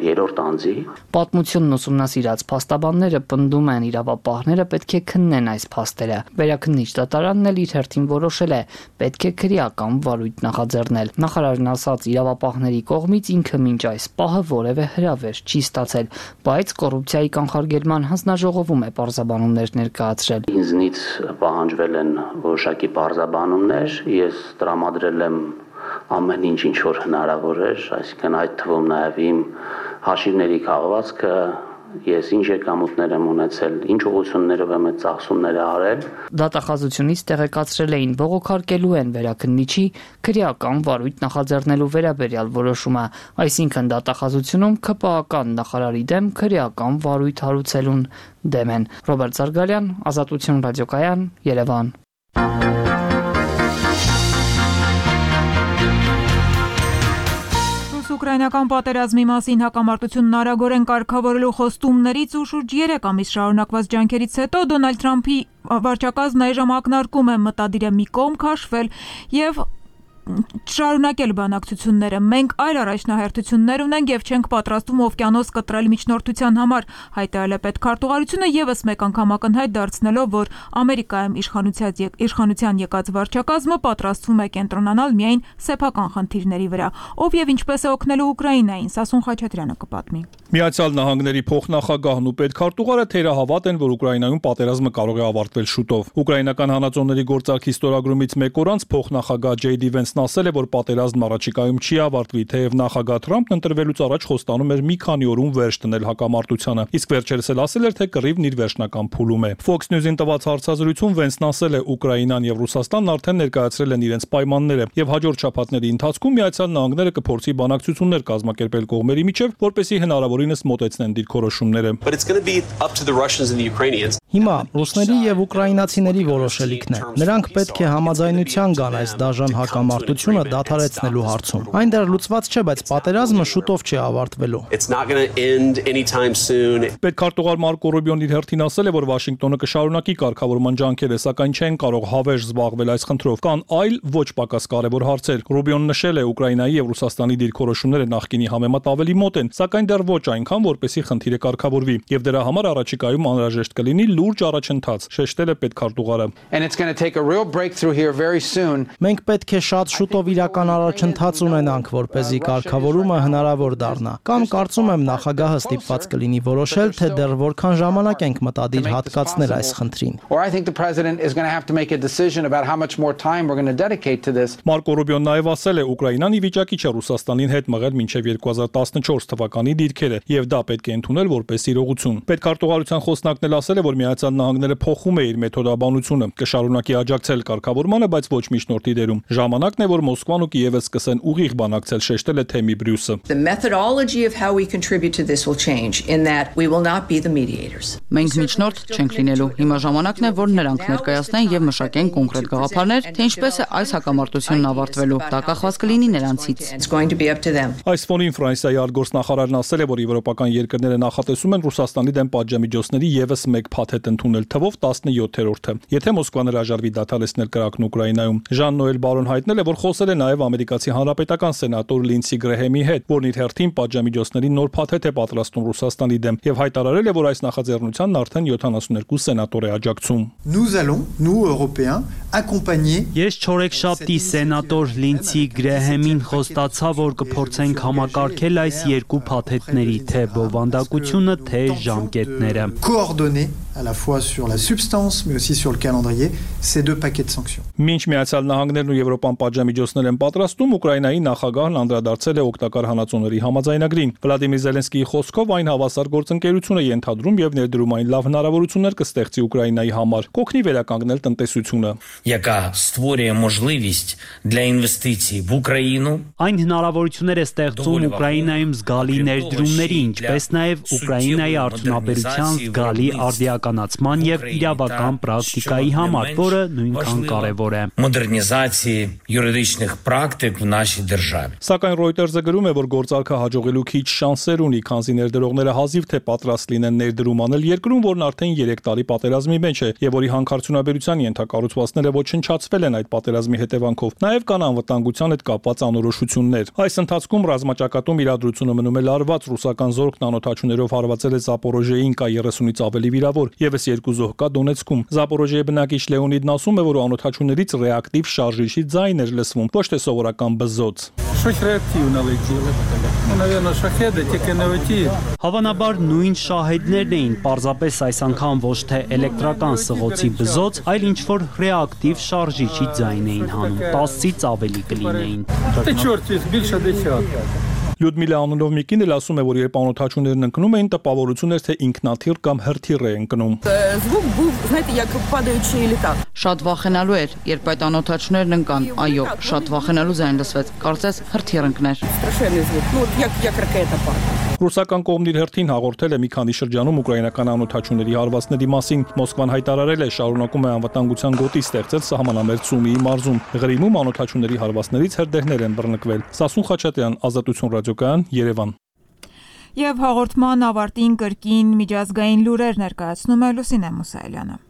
երրորդ անձի։ Պատմությունն ուսումնասիրած փաստաբանները պնդում են, իրավապահները պետք է քննեն այս փաստերը։ Վերաքննիչ դատարանն էլ իր հերթին որոշել է, պետք է քրեական վարույթ նախաձեռնել։ Նախարարն ասաց, իրավապահների կողմից ինքը մինչ այս պահը որևէ հրավեր չի ստացել, բայց կոռուպցիայի կանխարգելման հանձնաժողովում է պարզաբանումներ ներկայացրել։ Ինձնից պահանջվել են որոշակի պարզաբանումներ, ես տրամադրել եմ ամեն ինչ, ինչ որ հնարավոր էր, այսինքն այդ թվում նաև իմ հաշիվների քաղվածքը, ես ինչ եկամուտներ եմ ունեցել, ինչ ուղղություններով եմ այդ ծախսումները արել։ Դատախազությունից տեղեկացրել էին, բողոքարկելու են վերաքննիչի քրեական վարույթ նախաձեռնելու վերաբերյալ որոշումը, այսինքն դատախազությունում ՔՊԱ-ական նախարարի դեմ քրեական վարույթ հարուցելուն դեմ են։ Ռոբերտ Զարգալյան, Ազատություն ռադիոկայան, Երևան։ Ուկրաինական պատերազմի մասին հակամարտությունն արագորեն կարգավորելու խոստումներից ու շուրջ երեք ամիս շարունակված ջանքերից հետո Դոնալդ Թրամփի վարչակազմն այժմ ակնարկում է մտադիր է մի կողմ քաշվել եւ շարունակել բանակցությունները։ Մենք այլ առաջնահերթություններ ունենք եւ չենք պատրաստվում օվկիանոս կտրել միջնորդության համար, հայտարարել է պետքարտուղարությունը եւս մեկ անգամ ակնհայտ դարձնելով, որ Ամերիկայում իշխանության եկած վարչակազմը պատրաստվում է կենտրոնանալ միայն սեփական խնդիրների վրա։ Ով եւ ինչպես է օգնելու Ուկրաինային, Սասուն Խաչատրյանը կպատմի։ Միացյալ Նահանգների փոխնախագահն ու պետքարտուղարը թերահավատ են, որ Ուկրաինայում պատերազմը կարող է ավարտվել շուտով։ Ուկրաինական հանածոների գործարքի ստորագրումից մեկ օր անց փոխնախագահ Ջեյ Դի Վենսն ասել է, որ պատերազմն առաջիկայում չի ավարտվի, թեև նախագահ Թրամփն ընտրվելուց առաջ խոստանում էր մի քանի օրում վերջ դնել հակամարտությանը, իսկ վերջերս էլ ասել էր, թե կռիվն իր վերջնական փուլում է։ Fox News-ին տված հարցազրույցում Վենսն ասել է, Ուկրաինան եւ Ռուսաստանն արդեն ներկայացրել են իրենց պայմանները եւ հաջորդ շաբաթների ընթացքում Միացյալ Նահանգները կփորձի բանակցություններ կազմակերպել կողմերի միջև, որպեսզի հնարավորինս մոտեցնեն դիրքորոշումները։ Հիմա ռուսների եւ ուկրաինացիների որոշելիքն է։ Նրանք պետք է համաձայնության գան այս դաժան հակամարտությունը դադարեցնելու հարցում։ Այն դեռ լուծված չէ, բայց պատերազմը շուտով չի ավարտվելու։ Պետքարտուղար Մարկո Ռուբիոն իր հերթին ասել է, որ Վաշինգտոնը կշարունակի կարգավորման ջանքերը, սակայն չեն կարող հավերժ զբաղվել այս խնդրով։ Կան այլ ոչ պակաս կարևոր հարցեր։ Ռուբիոն նշել է, Ուկրաինայի եւ Ռուսաստանի դիրքորոշումները նախկինի համեմատ ավելի մոտ են, սակայն դեռ ոչ այնքան, որպեսզի խնդիրը կարգավորվի, եւ դրա համար առաջիկայում անհրաժեշտ կլինի լուրջ առաջընթաց, շեշտել է պետքարտուղարը։ Մենք պետք է շատ ասած, շուտով իրական առաջընթաց ունենանք, որպեսզի կարգավորումը հնարավոր դառնա։ Կամ կարծում եմ նախագահը ստիպված կլինի որոշել, թե դեռ որքան ժամանակ ենք մտադիր հատկացնել այս խնդրին։ Մարկո Ռուբիոն նաև ասել է, Ուկրաինան ի վիճակի չէ Ռուսաստանին հետ մղել մինչև երկու հազար տասնչորս թվականի դիրքերը, եւ դա պետք է ընդունել որպես իրողություն։ Պետքարտուղարության խոսնակն էլ ասել է, որ Միացյալ Նահանգները փոխում է իր մեթոդաբանությունը, կշարունակի աջակցել կարգավորմանը, բայց ոչ միջնորդի դերում։ Ժամանակն է, որ Մոսկվան ու Կիևը սկսեն ուղիղ բանակցել, շեշտել է Թեմի Բրյուսը։ Մենք միջնորդ չենք լինելու։ Հիմա ժամանակն է, որ նրանք ներկայացնեն եւ մշակեն կոնկրետ գաղափարներ, թե ինչպես է այս հակամարտությունն ավարտվելու։ Դա կախված կլինի նրանցից։ Այս ֆոնին Ֆրանսիայի արտգործնախարարն ասել է, որ եվրոպական երկրները նախատեսում են Ռուսաստանի դեմ պատժամիջոցների եւս մեկ փաթեթ ընդունել, թվով տասնյոթերորդը, եթե Մոսկվան հրաժարվի դադարեցնել կրակն Ուկրաինայում։ Ժան Նոել Բարոն հայտնել է, որ խոսել է նաեւ ամերիկացի հանրապետական սենատոր Լինսի Գրեհեմի հետ, որն իր հերթին պատժամիջոցների նոր փաթեթ է պատրաստում Ռուսաստանի դեմ եւ հայտարարել է, որ այս նախաձեռնությանն արդեն յոթանասունյոթ սենատոր է աջակցում։ Nous allons, nous Européens, accompagner. Ես չորեքշաբթի սենատոր Լինսի Գրեհեմին խոստացա, որ կփորձենք համակարգել այս երկու փաթեթների, թե բովանդակությունը, թե ժամկետները։ Coordonner à la fois sur la substance mais aussi sur le calendrier ces deux paquets de sanctions. Մինչ Միացյալ Նահանգներն ու Եվրոպան պատժամիջոցներ են պատրաստում, Ուկրաինայի նախագահն անդրադարձել է օգտակար հանածոների համաձայնագրին։ Վլադիմիր Զելենսկիի խոսքով այն հավասար գործընկերություն է ենթադրում եւ ներդրումային լավ հնարավորություններ կստեղծի Ուկրաինայի համար, կօգնի վերականգնել տնտեսությունը։ Яка створює можливість для інвестицій в Україну. Այն հնարավորություններ է ստեղծում Ուկրաինայում զգալի ներդրումների, ինչպես նաեւ Ուկրաինայի արդյունաբերության զգալի արդիականացման եւ իրավական պրակտիկայի համար, որը նույնքան կարեւոր է։ Модернізації юридичних практик в нашій державі. Սակայն Reuters-ը գրում է, որ գործարքը հաջողելու քիչ շանսեր ունի, քանզի ներդրողները հազիվ թե պատրաստ լինեն ներդրում անել երկրում, որն արդեն երեք տարի պատերազմի մեջ է եւ որի հանքարդյունաբերության ենթակառուցվածքները ոչնչացվել են այդ պատերազմի հետևանքով։ Նաեւ կան անվտանգության հետ կապված անորոշություններ։ Այս ընթացքում ռազմաճակատում իրադրությունը մնում է լարված, ռուսական զորքն անօթաչուներով հարվածել է Զապորոժեին, կա երեսունից ավելի վիրավոր, եւս երկու զոհ կա Դոնեցկում։ Զապորոժեի բնակիչ Լեոնիդն ասում է, որ անօթաչուներից ռեակտիվ շարժիչի ձայն էր լսվում, ոչ թե սովորական բզոց։ Щось реактивно летіло. Ну, наверное, шахеди, тільки не оті. Հավանաբար նույն շահեդներն էին, պարզապես այս անգամ ոչ թե էլեկտրական սղոցի բզոց, այլ ինչ-որ ռեակտիվ շարժիչի ձայն էին հանում, տասից ավելի կլինեին։ Та чорт, їх більше десятка. Լյուդմիլա անունով մի կին էլ ասում է, որ երբ անօթաչուներն ընկնում էին, տպավորություն էր, թե ինքնաթիռ կամ հրթիռ է ընկնում։ Звук був, знаєте, як падаючий літак. Շատ վախենալու էր, երբ այդ անօթաչուներն ընկան։ Այո, շատ վախենալու ձայն լսվեց։ Կարծես հրթիռ ընկներ։ Страшенний звук. Ну, от як як ракета падає. Ռուսական կողմն իր հերթին հաղորդել է մի քանի շրջանում ուկրաինական անօթաչուների հարվածների մասին։ Մոսկվան հայտարարել է, շարունակում է անվտանգության գոտի ստեղծել սահմանամերձ Սումիի մարզում։ Ղրիմում անօթաչուների հարվածներից հրդեհներ են բռնկվել։ Սասուն Խաչատրյան, Ազատություն ռադիոկայան, Երևան։ Եվ հաղորդման ավարտին կրկին միջազգային լուրեր ներկայացնում է Լուսինե Մուսայելյանը։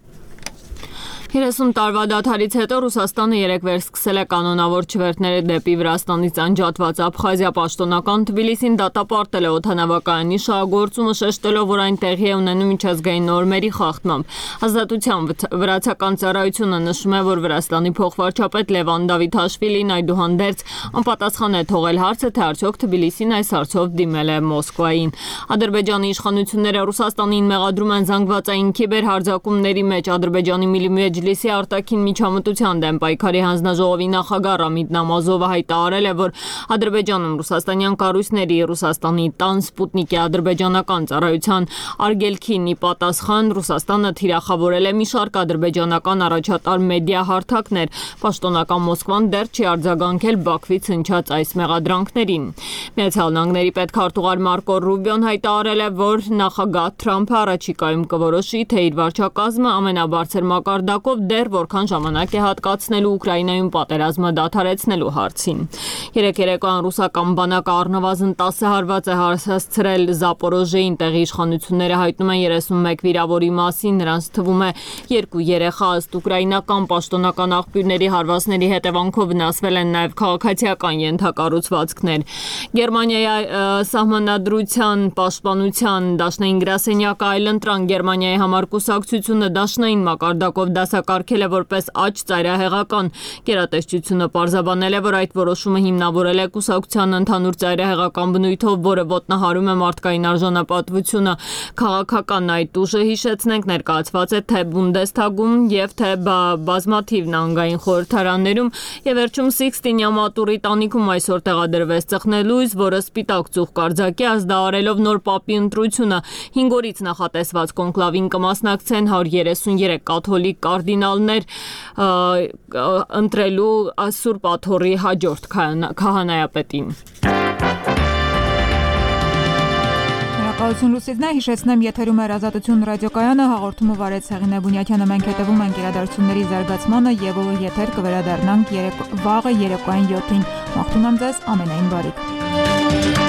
երեսուն տարվա դադարից հետո Ռուսաստանը երեկ վերսկսել է կանոնավոր չվերթները դեպի Վրաստանից անջատված Աբխազիա պաշտոնական Թբիլիսին դատապարտել է օդանավակայանի շահագործումը, շեշտելով, որ այն տեղի է ունենում միջազգային նորմերի խախտմամբ։ Ազատության վրացական ծառայությունը նշում է, որ Վրաստանի փոխվարչապետ Լևան Դավիթաշվիլին այդուհանդերձ անպատասխան է թողել հարցը, թե արդյոք Թբիլիսին այս հարցով դիմել է Մոսկվային։ Ադրբեջանի իշխանությունները Ռուսաստանին մեղադրում են զանգվածային քիբերհարձակումների մեջ Ադրբեջանի Միլիմեջ Մեջլիսի արտաքին միջամտության դեմ պայքարի հանձնաժողովի նախագահ Ռամիդ Նամազովը հայտարարել է, որ Ադրբեջանում ռուսաստանյան կառույցների Ռուսաստանի տան Սպուտնիկի ադրբեջանական ծառայության արգելքին ի պատասխան Ռուսաստանը թիրախավորել է մի շարք ադրբեջանական առաջատար մեդիա հարթակներ։ Պաշտոնական Մոսկվան դեռ չի արձագանքել Բաքվից հնչած այս մեղադրանքներին։ Միացյալ Նահանգների պետքարտուղար Մարկո Ռուբիոն հայտարարել է, որ նախագահ Թրամփը առաջիկայում կորոշի, թե իր վարչակազմը ամենաբարձր մակարդակով դեռ որքան ժամանակ է հատկացնելու Ուկրաինայում պատերազմը դադարեցնելու հարցին։ Երեք երեկոյան ռուսական բանակը առնվազն տասը հարված է հասցրել Զապորոժեին, տեղի իշխանությունները հայտնում են երեսունմեկ վիրավորի մասին, նրանց թվում է երկու երեխա, ըստ ուկրաինական պաշտոնական աղբյուրների հարվածների հետևանքով վնասվել են նաև քաղաքացիական ենթակառուցվածքներ։ Գերմանիայի սահմանադրության պաշտպանության դաշնային գրասենյակը այլընտրանք Գերմանիայի համար կուսակցությունը դաշնային մակարդակով դասակարգ բացակարգել է որպես աճ ծայրահեղական։ Գերատեսչությունը պարզաբանել է, որ այդ որոշումը հիմնավորել է կուսակցության ընդհանուր ծայրահեղական բնույթով, որը ոտնահարում է մարդկային արժանապատվությունը։ Քաղաքական այդ ուժը, հիշեցնենք, ներկայացված է թե Բունդեսթագում եւ թե բազմաթիվ նահանգային խորհրդարաններում եւ վերջում Սիքստինյա մատուրի տանիքում այսօր տեղադրվեց ծխնելույս, որը սպիտակ ծուխ կարձակի ազդարելով նոր պապի ընտրությունը։ հինգ օրից նախատեսված կոնկլավին կմասնակցեն հարյուր երեսուներեք կաթոլիկ կարդինալներ ընտրելու Սուրբ Աթոռի հաջորդ քահանայապետին։ Շնորհակալություն Լուսիզնա, հիշեցնեմ եթերում էր Ազատություն ռադիոկայանը, հաղորդումը վարեց Հեղինե Բունյակյանը, մենք հետևում ենք իրադարձությունների զարգացմանը եւ եթեր կվերադառնանք վաղը երեկոյան յոթին։ Մաղթում եմ ձեզ ամենայն բարիք։